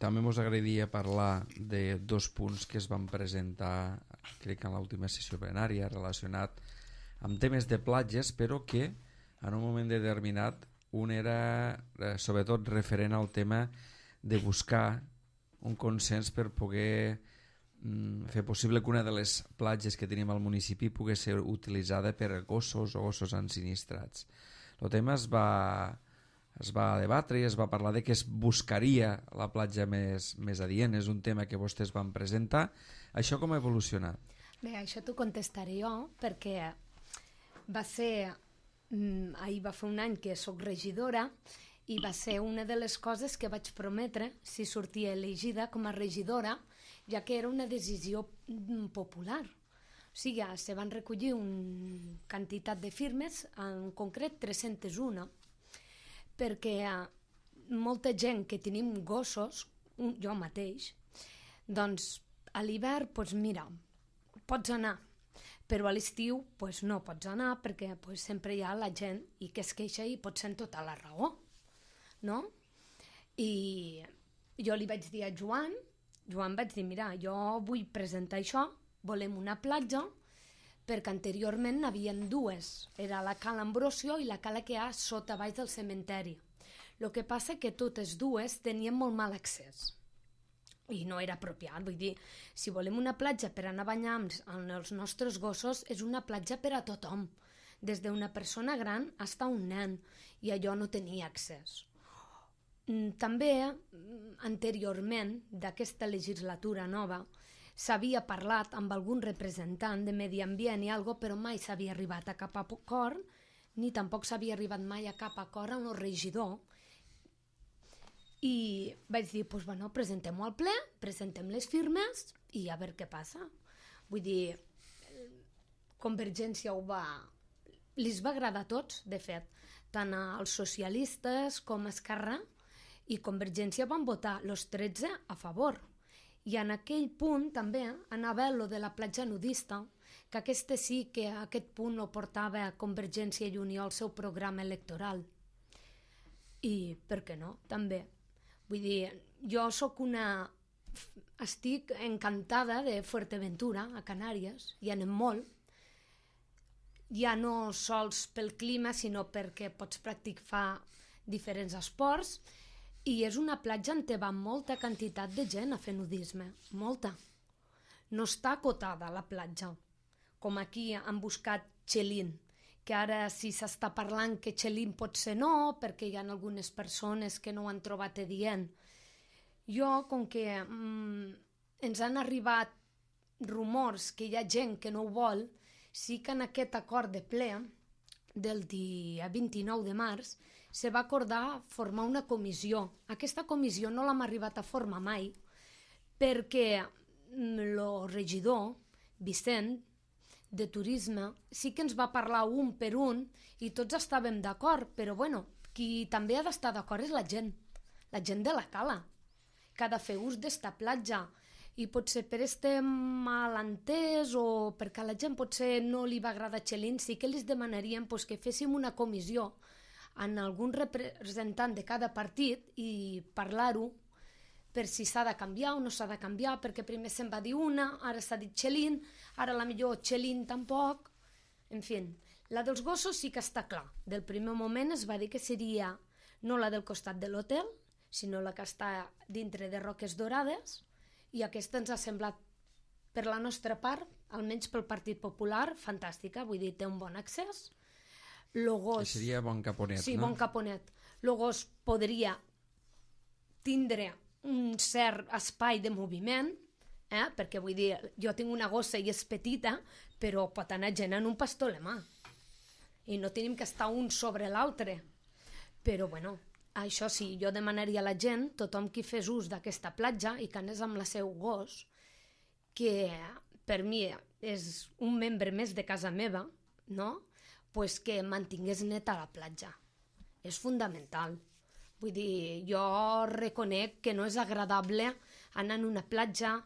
també ens agradaria parlar de dos punts que es van presentar, crec que en l'última sessió plenària, relacionat amb temes de platges, però que en un moment determinat un era eh, sobretot referent al tema de buscar un consens per poder mm, fer possible que una de les platges que tenim al municipi pugui ser utilitzada per gossos o gossos ensinistrats. El tema es va, es va debatre i es va parlar de que es buscaria la platja més, més adient. És un tema que vostès van presentar. Això com ha evolucionat? Bé, això t'ho contestaré jo, perquè va ser... ahir va fer un any que soc regidora i va ser una de les coses que vaig prometre si sortia elegida com a regidora, ja que era una decisió popular. O sigui, se van recollir una quantitat de firmes, en concret tres-centes u, perquè molta gent que tenim gossos, jo mateix, doncs a l'hivern, doncs mira, pots anar, però a l'estiu pues, no pots anar perquè pues, sempre hi ha la gent i que es queixa i pot ser en tota la raó, no? I jo li vaig dir a Joan, Joan vaig dir, mira, jo vull presentar això, volem una platja, perquè anteriorment n'havien dues, era la Cala Ambrosio i la cala que hi ha sota baix del cementeri. El que passa que totes dues tenien molt mal accés. i no era apropiat. Vull dir, si volem una platja per anar a banyar amb els nostres gossos, és una platja per a tothom, des d'una persona gran fins a un nen, i allò no tenia accés. També, anteriorment d'aquesta legislatura nova, s'havia parlat amb algun representant de Medi Ambient i algo, però mai s'havia arribat a cap acord, ni tampoc s'havia arribat mai a cap acord amb el regidor. I vaig dir, doncs, bueno, presentem-ho al ple, presentem les firmes i a veure què passa. Vull dir, Convergència ho va... Li va agradar a tots, de fet, tant als socialistes com a Esquerra, i Convergència van votar els tretze a favor. I en aquell punt també anava lo de la platja nudista, que aquest sí que aquest punt ho portava a Convergència i Unió al seu programa electoral. I per què no, també. Vull dir, jo sóc una... estic encantada de Fuerteventura, a Canàries, hi anem molt, ja no sols pel clima, sinó perquè pots practicar diferents esports, i és una platja on te va molta quantitat de gent a fer nudisme, molta. No està acotada la platja, com aquí han buscat Xelin, que ara sí s'està parlant que Xelin pot ser no, perquè hi ha algunes persones que no ho han trobat adient. Jo, com que mm, ens han arribat rumors que hi ha gent que no ho vol, sí que en aquest acord de ple del dia vint-i-nou de març se va acordar formar una comissió. Aquesta comissió no l'hem arribat a formar mai, perquè el regidor, Vicent, de Turisme, sí que ens va parlar un per un i tots estàvem d'acord, però bueno, qui també ha d'estar d'acord és la gent, la gent de la cala, que ha de fer ús d'esta platja, i potser per este malentès o perquè a la gent potser no li va agradar Xelin, sí que els demanaríem pues, que féssim una comissió en algun representant de cada partit i parlar-ho per si s'ha de canviar o no s'ha de canviar, perquè primer se'n va dir una, ara s'ha dit Xelin, ara la millor Xelin tampoc. En fi, la dels gossos sí que està clar. Del primer moment es va dir que seria no la del costat de l'hotel, sinó la que està dintre de Roques Dorades, i aquesta ens ha semblat, per la nostra part, almenys pel Partit Popular, fantàstica, vull dir, té un bon accés. Lo gos... Que seria Bon Caponet, sí, no? Sí, Bon Caponet. Lo gos podria tindre un cert espai de moviment, eh? Perquè vull dir, jo tinc una gossa i és petita, però pot anar gent en un pastor alemà. I no tenim que estar un sobre l'altre. Però, bueno, això sí, jo demanaria a la gent, tothom qui fes ús d'aquesta platja i que anés amb la seu gos, que per mi és un membre més de casa meva, no? Pues que mantingués neta la platja. És fundamental. Vull dir, jo reconec que no és agradable anar en una platja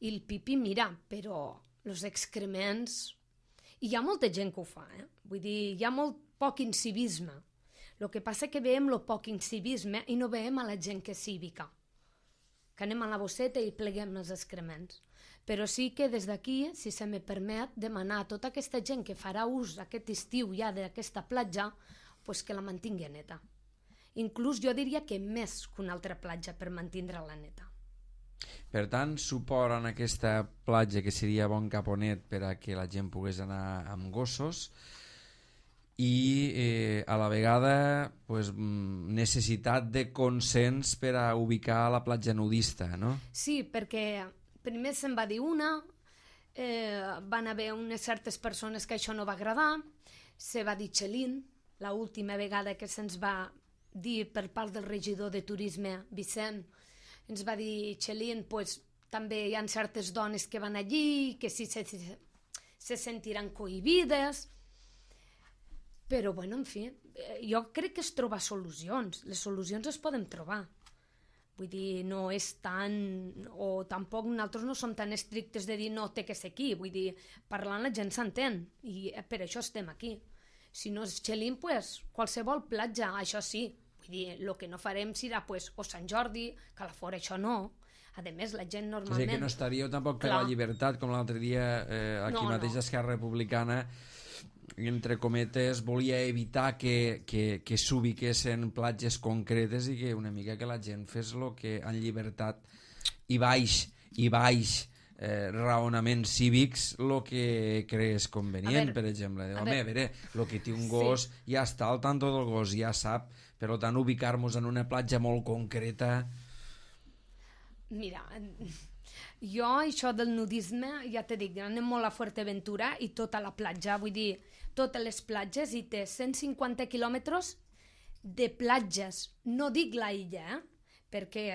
i el pipí, mira, però els excrements... I hi ha molta gent que ho fa, eh? Vull dir, hi ha molt poc incivisme. El que passa és que veiem el poc incivisme i no veiem a la gent que és cívica. Que anem a la bosseta i pleguem els excrements. Però sí que des d'aquí, si se me permet, demanar a tota aquesta gent que farà ús aquest estiu ja d'aquesta platja, pues que la mantingui neta. Inclús jo diria que més que una altra platja per mantenir-la neta. Per tant, suport en aquesta platja que seria Bon Caponet per a que la gent pogués anar amb gossos i eh, a la vegada pues, necessitat de consens per a ubicar la platja nudista, no? Sí, perquè primer se'n va dir una, eh, van haver unes certes persones que això no va agradar, se va dir Xelin, l'última vegada que se'ns va dir per part del regidor de Turisme, Vicent, ens va dir Xelin, pues, també hi ha certes dones que van allí, que sí se, se, se sentiran cohibides, però, bueno, en fi, jo crec que es troba solucions, les solucions es poden trobar. Vull dir, no és tan... o tampoc nosaltres no som tan estrictes de dir no té que ser aquí, vull dir, parlant la gent s'entén, i per això estem aquí. Si no és Xelin, pues, qualsevol platja, això sí. Vull dir, el que no farem serà pues, o Sant Jordi, que a la fora això no. A més, la gent normalment... O sigui que no estaríeu tampoc per Clar. La llibertat, com l'altre dia eh, aquí no, mateix no. Esquerra Republicana, entre cometes, volia evitar que, que, que s'ubiquessin platges concretes i que una mica que la gent fes el que en llibertat i baix, i baix eh, raonaments cívics el que creus convenient, veure, per exemple. a Home, a veure, el que té un gos sí. ja està al tanto del gos, ja sap, per tant, ubicar-nos en una platja molt concreta... Mira, jo això del nudisme, ja t'he dit, anem molt a Fuerteventura i tota la platja, vull dir, totes les platges, i té cent cinquanta quilòmetres de platges. No dic la illa, eh? perquè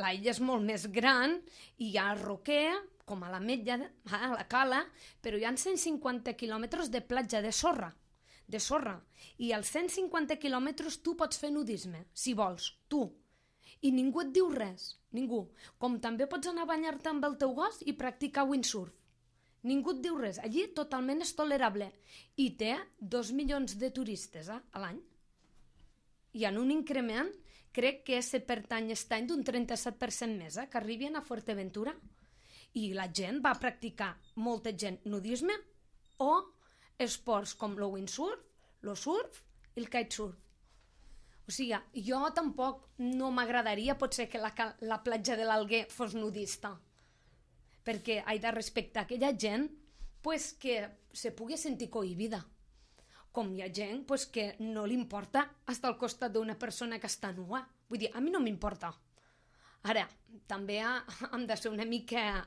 la illa és molt més gran i hi ha roquer, com a la Metlla, a la Cala, però hi ha cent cinquanta quilòmetres de platja de sorra, de sorra. I als cent cinquanta quilòmetres tu pots fer nudisme, si vols, tu. I ningú et diu res, ningú. Com també pots anar a banyar-te amb el teu gos i practicar windsurf. Ningú et diu res. Allí totalment és tolerable. I té dos milions de turistes eh, a l'any. Hi ha un increment, crec que és per any aquest any d'un trenta-set per cent més, eh, que arribin a Fuerteventura. I la gent va practicar, molta gent, nudisme o esports com el windsurf, el surf i el kitesurf. O sigui, jo tampoc no m'agradaria potser que la, la platja de l'Alguer fos nudista, perquè he de respectar aquella gent pues, que se pugui sentir cohibida. Com hi ha gent pues, que no li importa estar al costat d'una persona que està nua. Vull dir, a mi no m'importa. Ara, també hem de ser una mica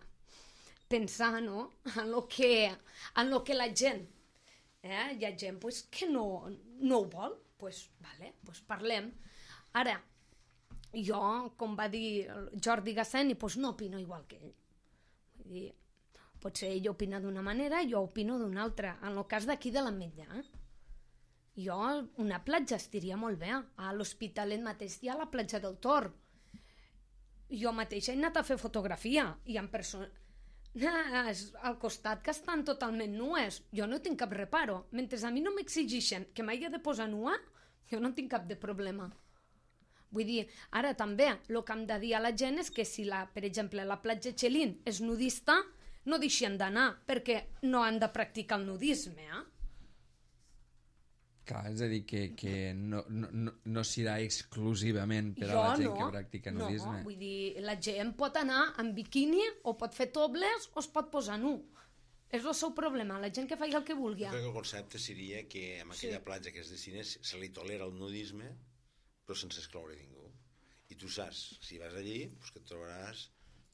pensar no? en lo que, en lo que la gent, eh? hi ha gent pues, que no, no ho vol, pues, vale, pues parlem. Ara, jo, com va dir Jordi Gasseni, pues no opino igual que ell. Vull dir, potser ell opina d'una manera, jo opino d'una altra. En el cas d'aquí de l'Ametlla, eh? jo, una platja estiria molt bé. A l'Hospitalet mateix hi ha la platja del Tor. Jo mateixa he anat a fer fotografia i en persona... al costat que estan totalment nues. Jo no tinc cap reparo. Mentre a mi no m'exigeixen que m'hagi de posar nua, jo no tinc cap de problema. Vull dir, ara també, el que hem de dir a la gent és que si, la, per exemple, la platja Xelín és nudista, no deixen d'anar, perquè no han de practicar el nudisme, eh? Clar, és a dir, que, que no, no, no, no serà exclusivament per a la gent no, que practica nudisme. No, vull dir, la gent pot anar en biquini o pot fer topless o es pot posar nu. És el seu problema, la gent que faci el que vulgui. Jo crec que el concepte seria que en aquella sí. platja que es destina se li tolera el nudisme però sense excloure ningú. I tu saps, si vas allí, pues que et trobaràs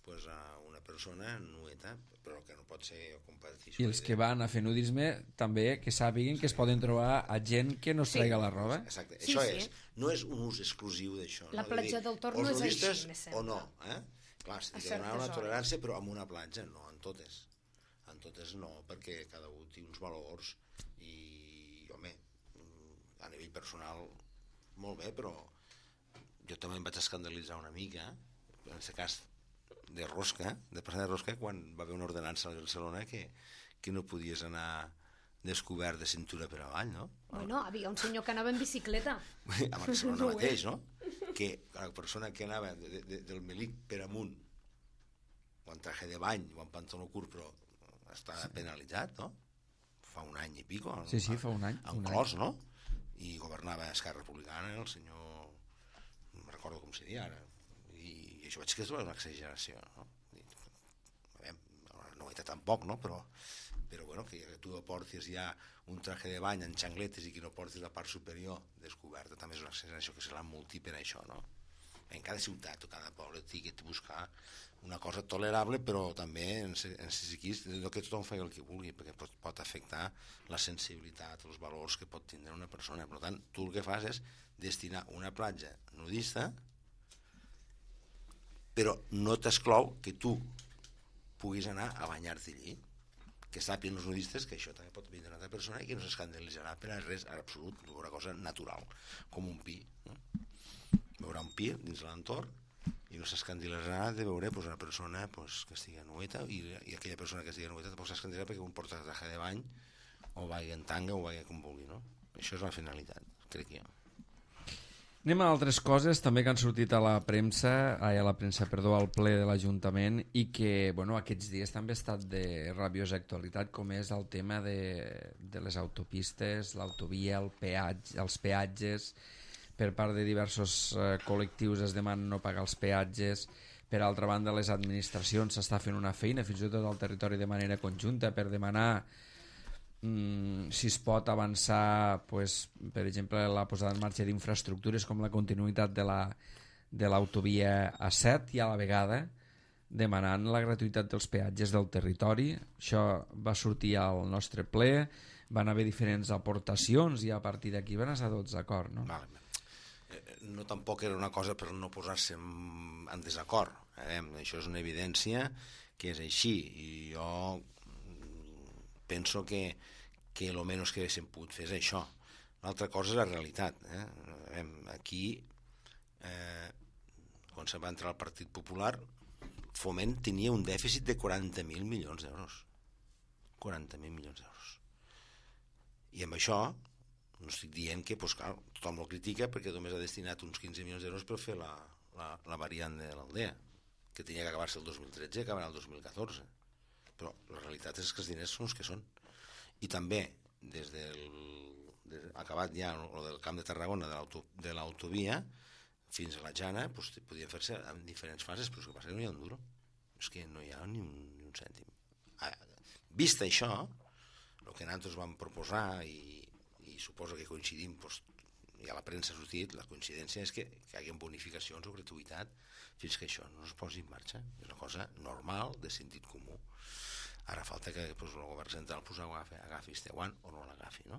pues, a una persona nueta, però que no pot ser competició. I els que van a fer nudisme també que sàpiguen que es poden trobar a gent que no es traiga sí. la roba. Exacte, sí, això sí. és, no és un ús exclusiu d'això. La no? platja dir, del Tor no és així, me sembla. O no, eh? Clar, s'ha de donar una tolerància, però en una platja, no en totes. En totes no, perquè cada un té uns valors i, home, a nivell personal, molt bé, però jo també em vaig escandalitzar una mica, en aquest cas de rosca, de passar de rosca, quan va haver una ordenança a Barcelona que, que no podies anar descobert de cintura per avall, no? Bueno, havia un senyor que anava en bicicleta. A Barcelona no mateix, no? Que la persona que anava de, de, del Melic per amunt, o en traje de bany, o en pantaló curt, però està sí. penalitzat, no? Fa un any i pico. Sí, sí, fa un any. En clos, no? I governava Esquerra Republicana, el senyor... no recordo com se diu ara. I això vaig que és una exageració, no? Bé, no ho he tampoc, no? Però, però bueno, que tu portis ja un traje de bany en xangletes i que no portis la part superior descoberta també és una exageració que se l'ha multi per això, no? En cada ciutat o cada poble té que buscar una cosa tolerable, però també en psiquis que tothom faci el que vulgui, perquè pot, pot afectar la sensibilitat, els valors que pot tindre una persona. Per tant, tu el que fas és destinar una platja nudista, però no t'exclou que tu puguis anar a banyar-te allí, que sàpiguen els nudistes que això també pot vindre una altra persona i que no s'escandalitzarà per a res en absolut, una cosa natural, com un pi, no? Veurà un pi dins l'entorn i no s'escandalitzarà de veure pues, una persona pues, que estigui nueta i, i aquella persona que estigui nueta tampoc s'escandalitzarà perquè un porta traje de bany o vagi en tanga o vagi com vulgui, no? Això és la finalitat, crec jo. Anem a altres coses també que han sortit a la premsa, ai, a la premsa, perdó, al ple de l'Ajuntament i que, bueno, aquests dies també ha estat de rabiosa actualitat, com és el tema de, de les autopistes, l'autovia, el peatge, els peatges. Per part de diversos eh, col·lectius es demanen no pagar els peatges Per altra banda, les administracions s'està fent una feina, fins i tot al territori de manera conjunta, per demanar mm, si es pot avançar, pues, per exemple, la posada en marxa d'infraestructures com la continuïtat de la de l'autovia A set i a la vegada demanant la gratuïtat dels peatges del territori. Això va sortir al nostre ple, van haver diferents aportacions i a partir d'aquí van estar tots d'acord, no? Vale. No tampoc era una cosa per no posar-se en, en desacord. Eh? Això és una evidència que és així i jo penso que, que el menys que haguéssim pogut fer és això. L'altra cosa és la realitat. Eh? Aquí, eh, quan se va entrar al Partit Popular, Foment tenia un dèficit de quaranta mil milions d'euros. quaranta mil milions d'euros. I amb això no estic dient que pues, clar, tothom el critica perquè només ha destinat uns quinze milions d'euros per fer la, la, la variant de l'Aldea, que tenia que acabar-se el dos mil tretze i acabarà el dos mil catorze. Però la realitat és que els diners són els que són. I també, des del des, acabat ja el del Camp de Tarragona de l'autovia fins a la Jana, pues, podien fer-se en diferents fases, però és que passa que no hi ha un duro. És que no hi ha ni un, ni un cèntim. Ah, vist això, el que nosaltres vam proposar i i suposo que coincidim, doncs, i a la premsa ha sortit, la coincidència és que, que hi hagi bonificacions o gratuïtat fins que això no es posi en marxa. És una cosa normal, de sentit comú. Ara falta que doncs, el govern central pues, agafi, agafi este guant o no l'agafi, no?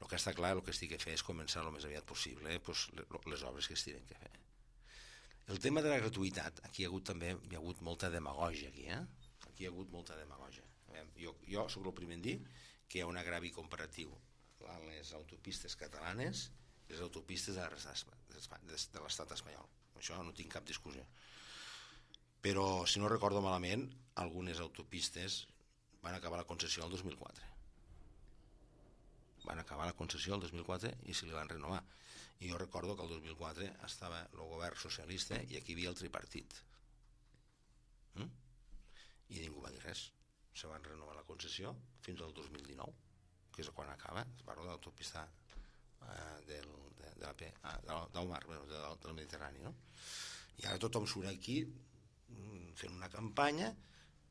El que està clar, el que estic a fer és començar el més aviat possible doncs, les obres que es tenen que fer. El tema de la gratuïtat, aquí hi ha hagut també hi ha hagut molta demagògia aquí, eh? Aquí hi ha hagut molta demagògia. Jo, jo soc el primer en dir que hi ha un agravi comparatiu a les autopistes catalanes i les autopistes de l'estat espanyol. Això no tinc cap discussió. Però, si no recordo malament, algunes autopistes van acabar la concessió el dos mil quatre. Van acabar la concessió el dos mil quatre i se li van renovar. I jo recordo que el dos mil quatre estava el govern socialista i aquí hi havia el tripartit. Mm? I ningú va dir res. Se van renovar la concessió fins al dos mil dinou, que és quan acaba, es parla de l'autopista eh, del, de, de la P, ah, del mar, bueno, del, del Mediterrani, no? I ara tothom surt aquí fent una campanya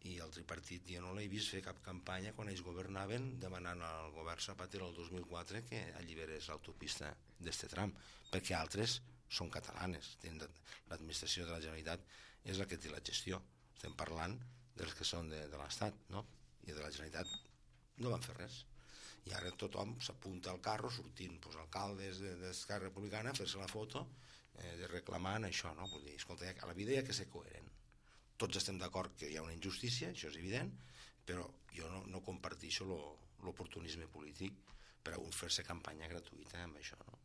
i el tripartit jo no l'he vist fer cap campanya quan ells governaven demanant al govern Zapatero el dos mil quatre que alliberés l'autopista d'este tram, perquè altres són catalanes, l'administració de la Generalitat és la que té la gestió, estem parlant dels que són de, de l'Estat, no? I de la Generalitat no van fer res. I ara tothom s'apunta al carro sortint pues, alcaldes d'Esquerra Republicana a fer-se la foto eh, de reclamant això, no? Vull dir, escolta, a la vida hi ha que ser coherent. Tots estem d'acord que hi ha una injustícia, això és evident, però jo no, no comparteixo l'oportunisme polític per a un fer-se campanya gratuïta amb això, no?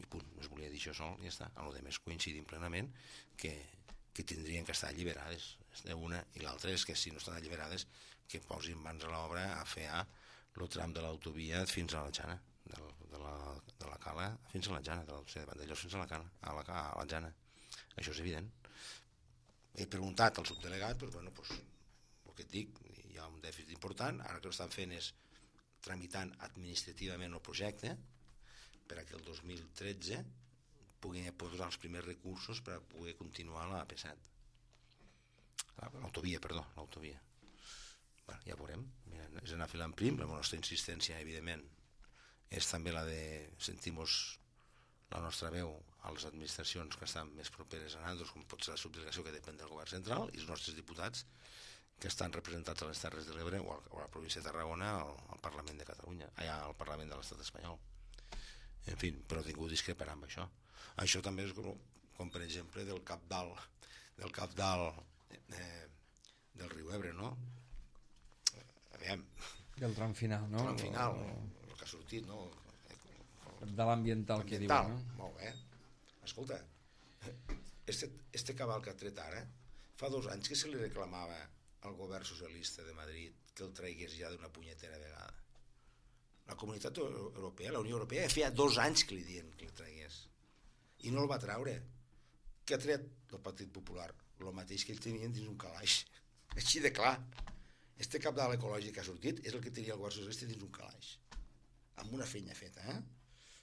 I punt, no es volia dir això sol i ja està. A lo de més coincidim plenament que, que tindrien que estar alliberades. Una i l'altra és que si no estan alliberades que posin mans a l'obra a fer el tram de l'autovia fins a la Jana, de, de, la, de la Cala fins a la Jana, de, de Vandellós fins a la Cala, a la, a la Jana. Això és evident. He preguntat al subdelegat, però bueno, pues, el que et dic, hi ha un dèficit important, ara que l'estan fent és tramitant administrativament el projecte perquè el dos mil tretze puguin posar els primers recursos per a poder continuar la A P set. L'autovia, perdó, l'autovia. Bueno, ja veurem. Mira, és anar filant prim, la nostra insistència, evidentment, és també la de sentir-nos la nostra veu a les administracions que estan més properes a nosaltres, com pot ser la subdelegació que depèn del govern central, i els nostres diputats que estan representats a les Terres de l'Ebre o a la província de Tarragona al, al Parlament de Catalunya, allà al Parlament de l'Estat espanyol. En fi, però ningú discreparà amb això. Això també és com, com per exemple, del cap dalt, del cap dalt eh, del riu Ebre, no? Aviam. Del tram final, no? El tram final, o... el que ha sortit, no? De l'ambiental que diu, no? Molt bé. Escolta, este, este cabal que ha tret ara, fa dos anys que se li reclamava al govern socialista de Madrid que el traigués ja d'una punyetera vegada. La Comunitat Europea, la Unió Europea, feia dos anys que li diuen que el tragués. I no el va traure. Què ha tret el Partit Popular? El mateix que ell tenien dins un calaix. Així de clar. Este cabal ecològic que ha sortit és el que tenia el govern socialista dins un calaix. Amb una feina feta, eh?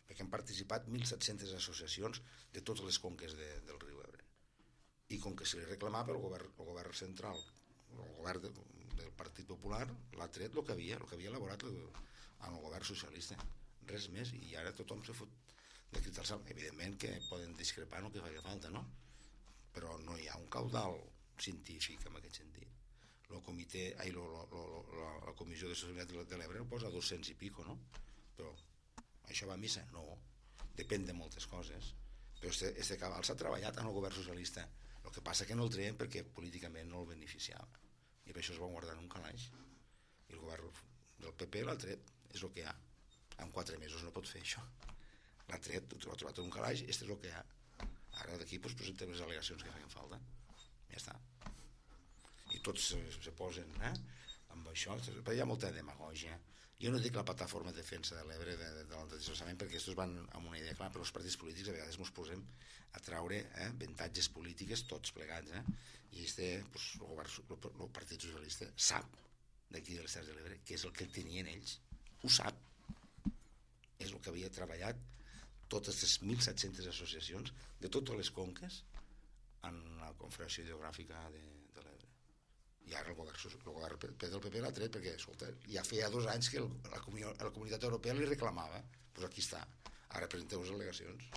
Perquè han participat mil set-centes associacions de totes les conques de, del riu Ebre. i com que se li reclamava el govern, el govern central, el govern de, del Partit Popular l'ha tret el que havia, el que havia elaborat el, amb el govern socialista, res més, i ara tothom se fot de crit al cel. Evidentment que poden discrepar en el que faci falta, no? Però no hi ha un caudal científic en aquest sentit. El comitè, ai, lo, lo, lo, la, la Comissió de Sostenibilitat de l'Ebre posa dos-cents i pico, no? Però això va a missa? No, depèn de moltes coses. Però este, este cabal s'ha treballat en el govern socialista. El que passa que no el treien perquè políticament no el beneficiava. I per això es va guardar en un calaix. I el govern del P P l'ha tret, és el que hi ha. En quatre mesos no pot fer això. L'ha tret, l'ha trobat en un calaix, este és el que hi ha. Ara d'aquí pues, presentem les al·legacions que feien falta. Ja està. I tots se, se posen eh, amb això, però hi ha molta demagògia. Jo no dic la plataforma de defensa de l'Ebre de, de, de l'antidesplaçament perquè aquests van amb una idea clara, però els partits polítics a vegades ens posem a traure eh, avantatges polítiques tots plegats, eh? I este, pues, el, govern, el, el Partit Socialista sap d'aquí de les Terres de l'Ebre que és el que tenien ells, ho sap, és el que havia treballat totes les mil set-centes associacions de totes les conques en la Confederació Hidrogràfica de, de l'Ebre. I ara el govern, el govern del P P l'ha tret perquè escolta, ja feia dos anys que el, la, comunió, la Comunitat Europea li reclamava. Doncs pues aquí està. Ara presenteu les al·legacions.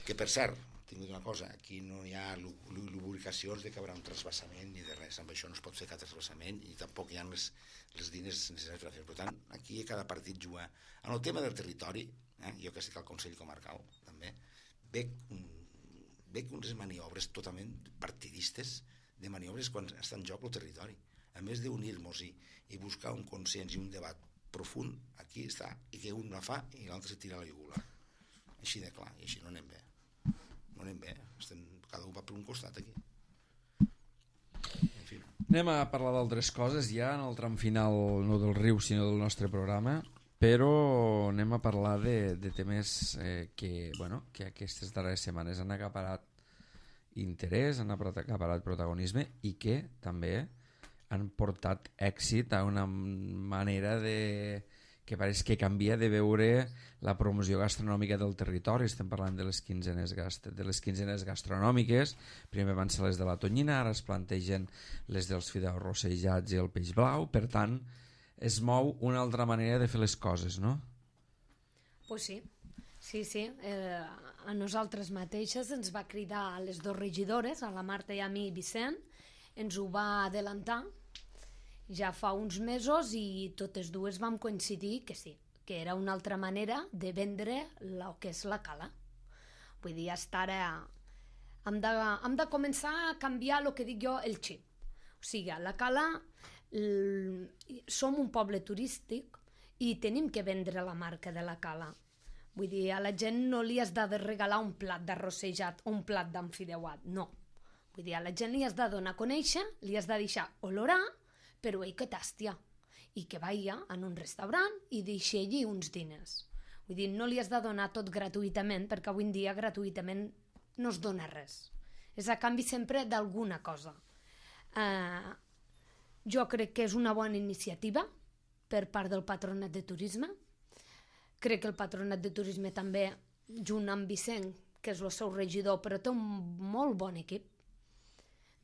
Que per cert, tinc una cosa, aquí no hi ha lubricacions de que hi haurà un trasbassament ni de res, amb això no es pot fer cap trasbassament i tampoc hi ha les, les diners necessaris per fer. Per tant, aquí cada partit juga. En el tema del territori, eh, jo que estic al Consell Comarcal també, veig, veig unes maniobres totalment partidistes de maniobres quan està en joc el territori. A més d'unir-nos i, i buscar un consens i un debat profund, aquí està, i que un la fa i l'altre se tira a la llugula. Així de clar, i així no anem bé. No anem bé, estem, cada un va per un costat aquí. En fi. Anem a parlar d'altres coses ja en el tram final, no del riu sinó del nostre programa, però anem a parlar de, de temes eh, que, bueno, que aquestes darreres setmanes han acaparat interès, han acaparat protagonisme i que també han portat èxit a una manera de que pareix que canvia de veure la promoció gastronòmica del territori. Estem parlant de les quinzenes, gast de les quinzenes gastronòmiques. Primer van ser les de la tonyina, ara es plantegen les dels fideus rossejats i el peix blau. Per tant, es mou una altra manera de fer les coses, no? Pues sí. Sí, sí, eh, a nosaltres mateixes ens va cridar a les dues regidores, a la Marta i a mi, Vicent, ens ho va adelantar ja fa uns mesos i totes dues vam coincidir que sí, que era una altra manera de vendre el que és la cala. Vull dir, hasta ara hem de, hem de començar a canviar el que dic jo, el xip. O sigui, a la cala l... som un poble turístic i tenim que vendre la marca de la cala. Vull dir, a la gent no li has de regalar un plat d'arrossejat o un plat d'enfideuat, no. Vull dir, a la gent li has de donar a conèixer, li has de deixar olorar, però ell que tàstia, i que vaya en un restaurant i deixi allí uns diners. Vull dir, no li has de donar tot gratuïtament, perquè avui en dia gratuïtament no es dona res. És a canvi sempre d'alguna cosa. Uh, jo crec que és una bona iniciativa per part del Patronat de Turisme. Crec que el Patronat de Turisme també, junt amb Vicent, que és el seu regidor, però té un molt bon equip.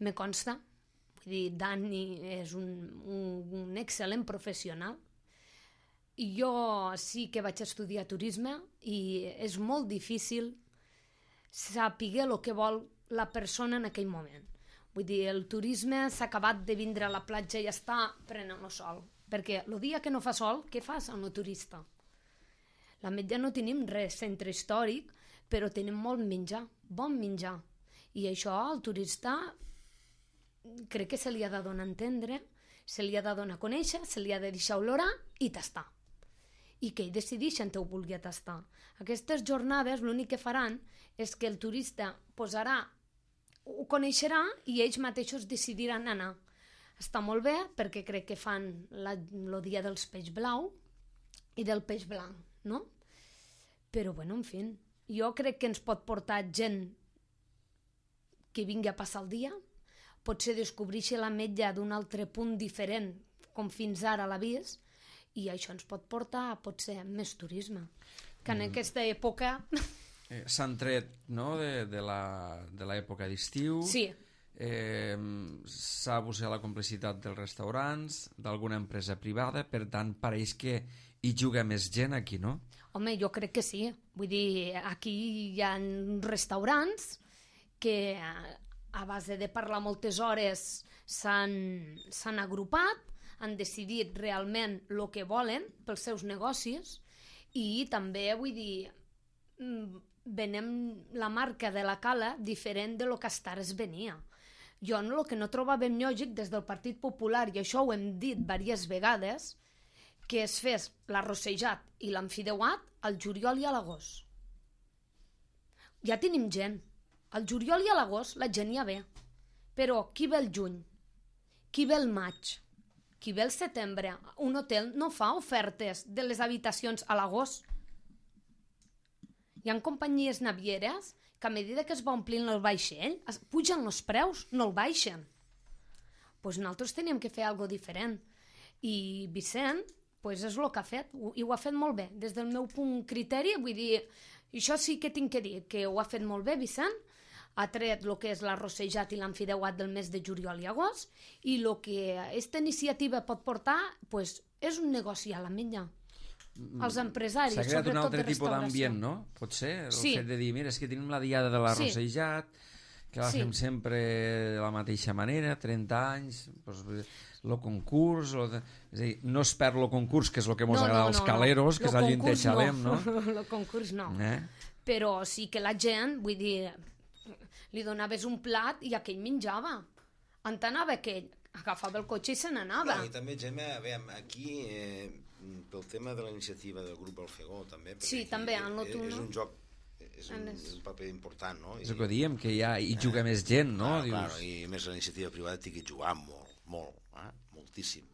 Me consta. Vull dir, Dani és un, un, un excel·lent professional. I jo sí que vaig estudiar turisme i és molt difícil saber el que vol la persona en aquell moment. Vull dir, el turisme s'ha acabat de vindre a la platja i ja està prenent el sol. Perquè el dia que no fa sol, què fas amb el turista? La Metlla no tenim res centre històric, però tenim molt menjar, bon menjar. I això al turista crec que se li ha de donar a entendre, se li ha de donar a conèixer, se li ha de deixar olorar i tastar. I que ell decideixi en què ho vulgui tastar. Aquestes jornades l'únic que faran és que el turista posarà, ho coneixerà i ells mateixos decidiran anar. Està molt bé perquè crec que fan la, el dia dels peix blau i del peix blanc, no? Però, bueno, en fi, jo crec que ens pot portar gent que vingui a passar el dia, potser descobrir la Metlla d'un altre punt diferent, com fins ara l'ha vist, i això ens pot portar a potser més turisme. Que en mm. aquesta època Eh, S'han tret, no?, de, de la- de l'època d'estiu. Sí, Eh, s'ha buscat la complicitat dels restaurants, d'alguna empresa privada, per tant, pareix que hi juga més gent aquí, no? home, jo crec que sí. Vull dir, aquí hi ha restaurants que a base de parlar moltes hores s'han s'han agrupat, han decidit realment el que volen pels seus negocis i també, vull dir, mm, venem la marca de la cala diferent de lo que hasta ara es venia. Jo el que no trobàvem lògic des del Partit Popular, i això ho hem dit diverses vegades, que es fes l'arrossejat i l'enfideuat al juliol i a l'agost. Ja tenim gent. Al juliol i a l'agost la gent ja ve. Però qui ve el juny? Qui ve el maig? Qui ve el setembre? Un hotel no fa ofertes de les habitacions a l'agost. Hi ha companyies navieres que a mesura que es va omplint el vaixell es pugen els preus, no el baixen. Doncs nosaltres teníem que fer alguna diferent. I Vicent pues és el que ha fet, i ho ha fet molt bé. Des del meu punt criteri, vull dir, això sí que tinc que dir, que ho ha fet molt bé Vicent, ha tret el que és l'arrossejat i l'enfideuat del mes de juliol i agost, i el que aquesta iniciativa pot portar pues, és un negoci a la menya. Els empresaris, s'ha creat un sobretot altre de tipus restauració. d'ambient, no? Pot ser? El Sí. fet de dir, mira, és que tenim la diada de l'arrossejat, que la Sí. fem sempre de la mateixa manera, trenta anys, doncs, el concurs, lo de... és a dir, no es perd el concurs, que és el que ens agrada als caleros, que és allò on xalem, no? El concurs no. Eh? Però sí que la gent, vull dir, li donaves un plat i aquell menjava. On anava aquell? Agafava el cotxe i se n'anava. No, i també, Gemma, a veure, aquí, eh, pel tema de la iniciativa del grup Alfegó, també, perquè Sí, aquí també, és, en lo és, tu, és no? un joc, és un, En les- és un paper important, no? És el que diem, que hi, ha, hi juga més gent, no? Clar, Dius... clar, i a més la iniciativa privada té que jugar molt, molt, eh? moltíssim.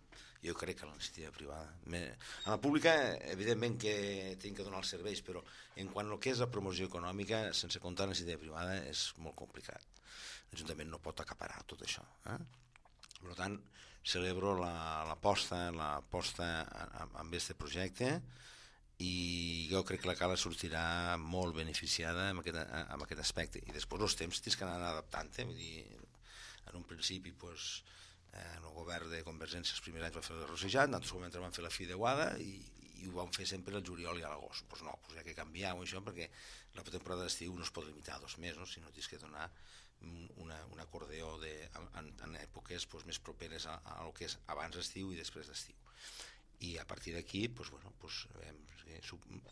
Jo crec que la iniciativa privada... Me... A la pública, evidentment que tenen que donar els serveis, però en quant al que és la promoció econòmica, sense comptar la iniciativa privada, és molt complicat. L'Ajuntament no pot acaparar tot això. Eh? Per tant, celebro l'aposta la, l'aposta amb aquest projecte i jo crec que la Cala sortirà molt beneficiada amb aquest, amb aquest aspecte. I després els temps tens que anar adaptant. Eh? Vull dir, en un principi, pues, eh, el govern de Convergència els primers anys va fer l'arrossejat, nosaltres moments vam fer la fideuada i, i ho vam fer sempre el juliol i a l'agost. Pues no, pues hi ha que canviar això perquè la temporada d'estiu no es pot limitar a dos mesos, sinó tens que donar una, un acordeó de, en, en èpoques pues, més properes a, a lo que és abans d'estiu i després d'estiu. I a partir d'aquí, pues, bueno, pues, eh,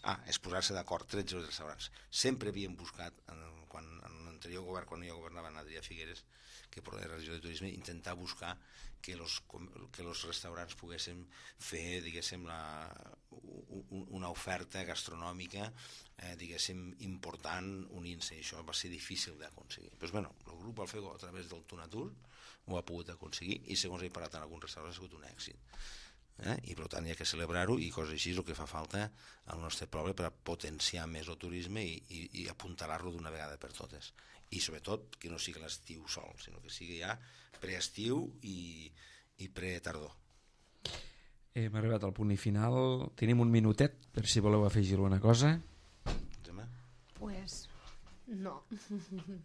ah, és posar-se d'acord tretze restaurants. Sempre havíem buscat, en, quan, en l'anterior govern, quan jo governava en Adrià Figueres, que per la regió de turisme, intentar buscar que los, que los restaurants poguessin fer, diguéssim, la, una oferta gastronòmica, eh, diguéssim, important, unint-se. Això va ser difícil d'aconseguir. Però, bueno, el grup Alfegó, a través del Tunatur, ho ha pogut aconseguir i, segons he parlat en alguns restaurants, ha sigut un èxit. Eh? I per tant hi ha que celebrar-ho i coses així és el que fa falta al nostre poble per a potenciar més el turisme i, i, i apuntalar-lo d'una vegada per totes. I sobretot que no sigui l'estiu sol, sinó que sigui ja preestiu i, i pretardor. Hem arribat al punt i final. Tenim un minutet per si voleu afegir alguna cosa. Gemma? Pues no,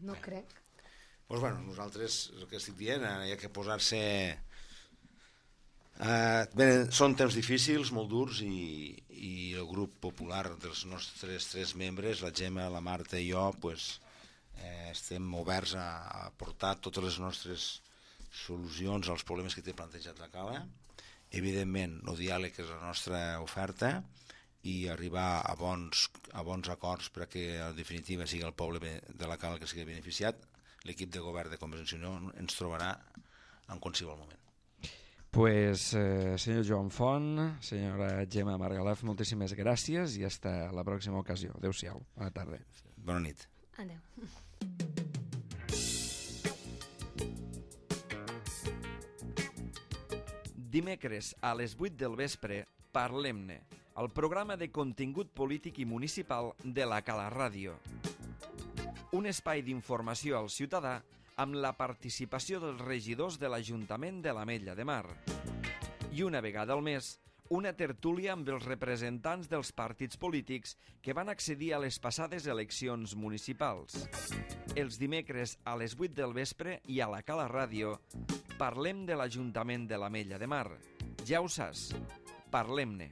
no Bé. crec. Doncs bueno, nosaltres, el que estic dient, hi ha que posar-se... Uh, bé, són temps difícils, molt durs, i, i el grup popular dels nostres tres membres, la Gemma, la Marta i jo, pues, eh, estem oberts a, a portar totes les nostres solucions als problemes que té plantejat la Cala. Evidentment, el diàleg és la nostra oferta i arribar a bons, a bons acords perquè en definitiva sigui el poble de la Cala que sigui beneficiat. L'equip de govern de Convergència i Unió ens trobarà en qualsevol moment. Pues, eh, senyor Joan Font, senyora Gemma Margalef, moltíssimes gràcies i fins a la pròxima ocasió. Adéu-siau. Bona tarda. Bona nit. Adéu. Dimecres a les vuit del vespre, Parlem-ne, el programa de contingut polític i municipal de la Cala Ràdio. Un espai d'informació al ciutadà amb la participació dels regidors de l'Ajuntament de l'Ametlla de Mar. I una vegada al mes, una tertúlia amb els representants dels partits polítics que van accedir a les passades eleccions municipals. Els dimecres a les vuit del vespre i a la Cala Ràdio parlem de l'Ajuntament de l'Ametlla de Mar. Ja ho saps, parlem-ne.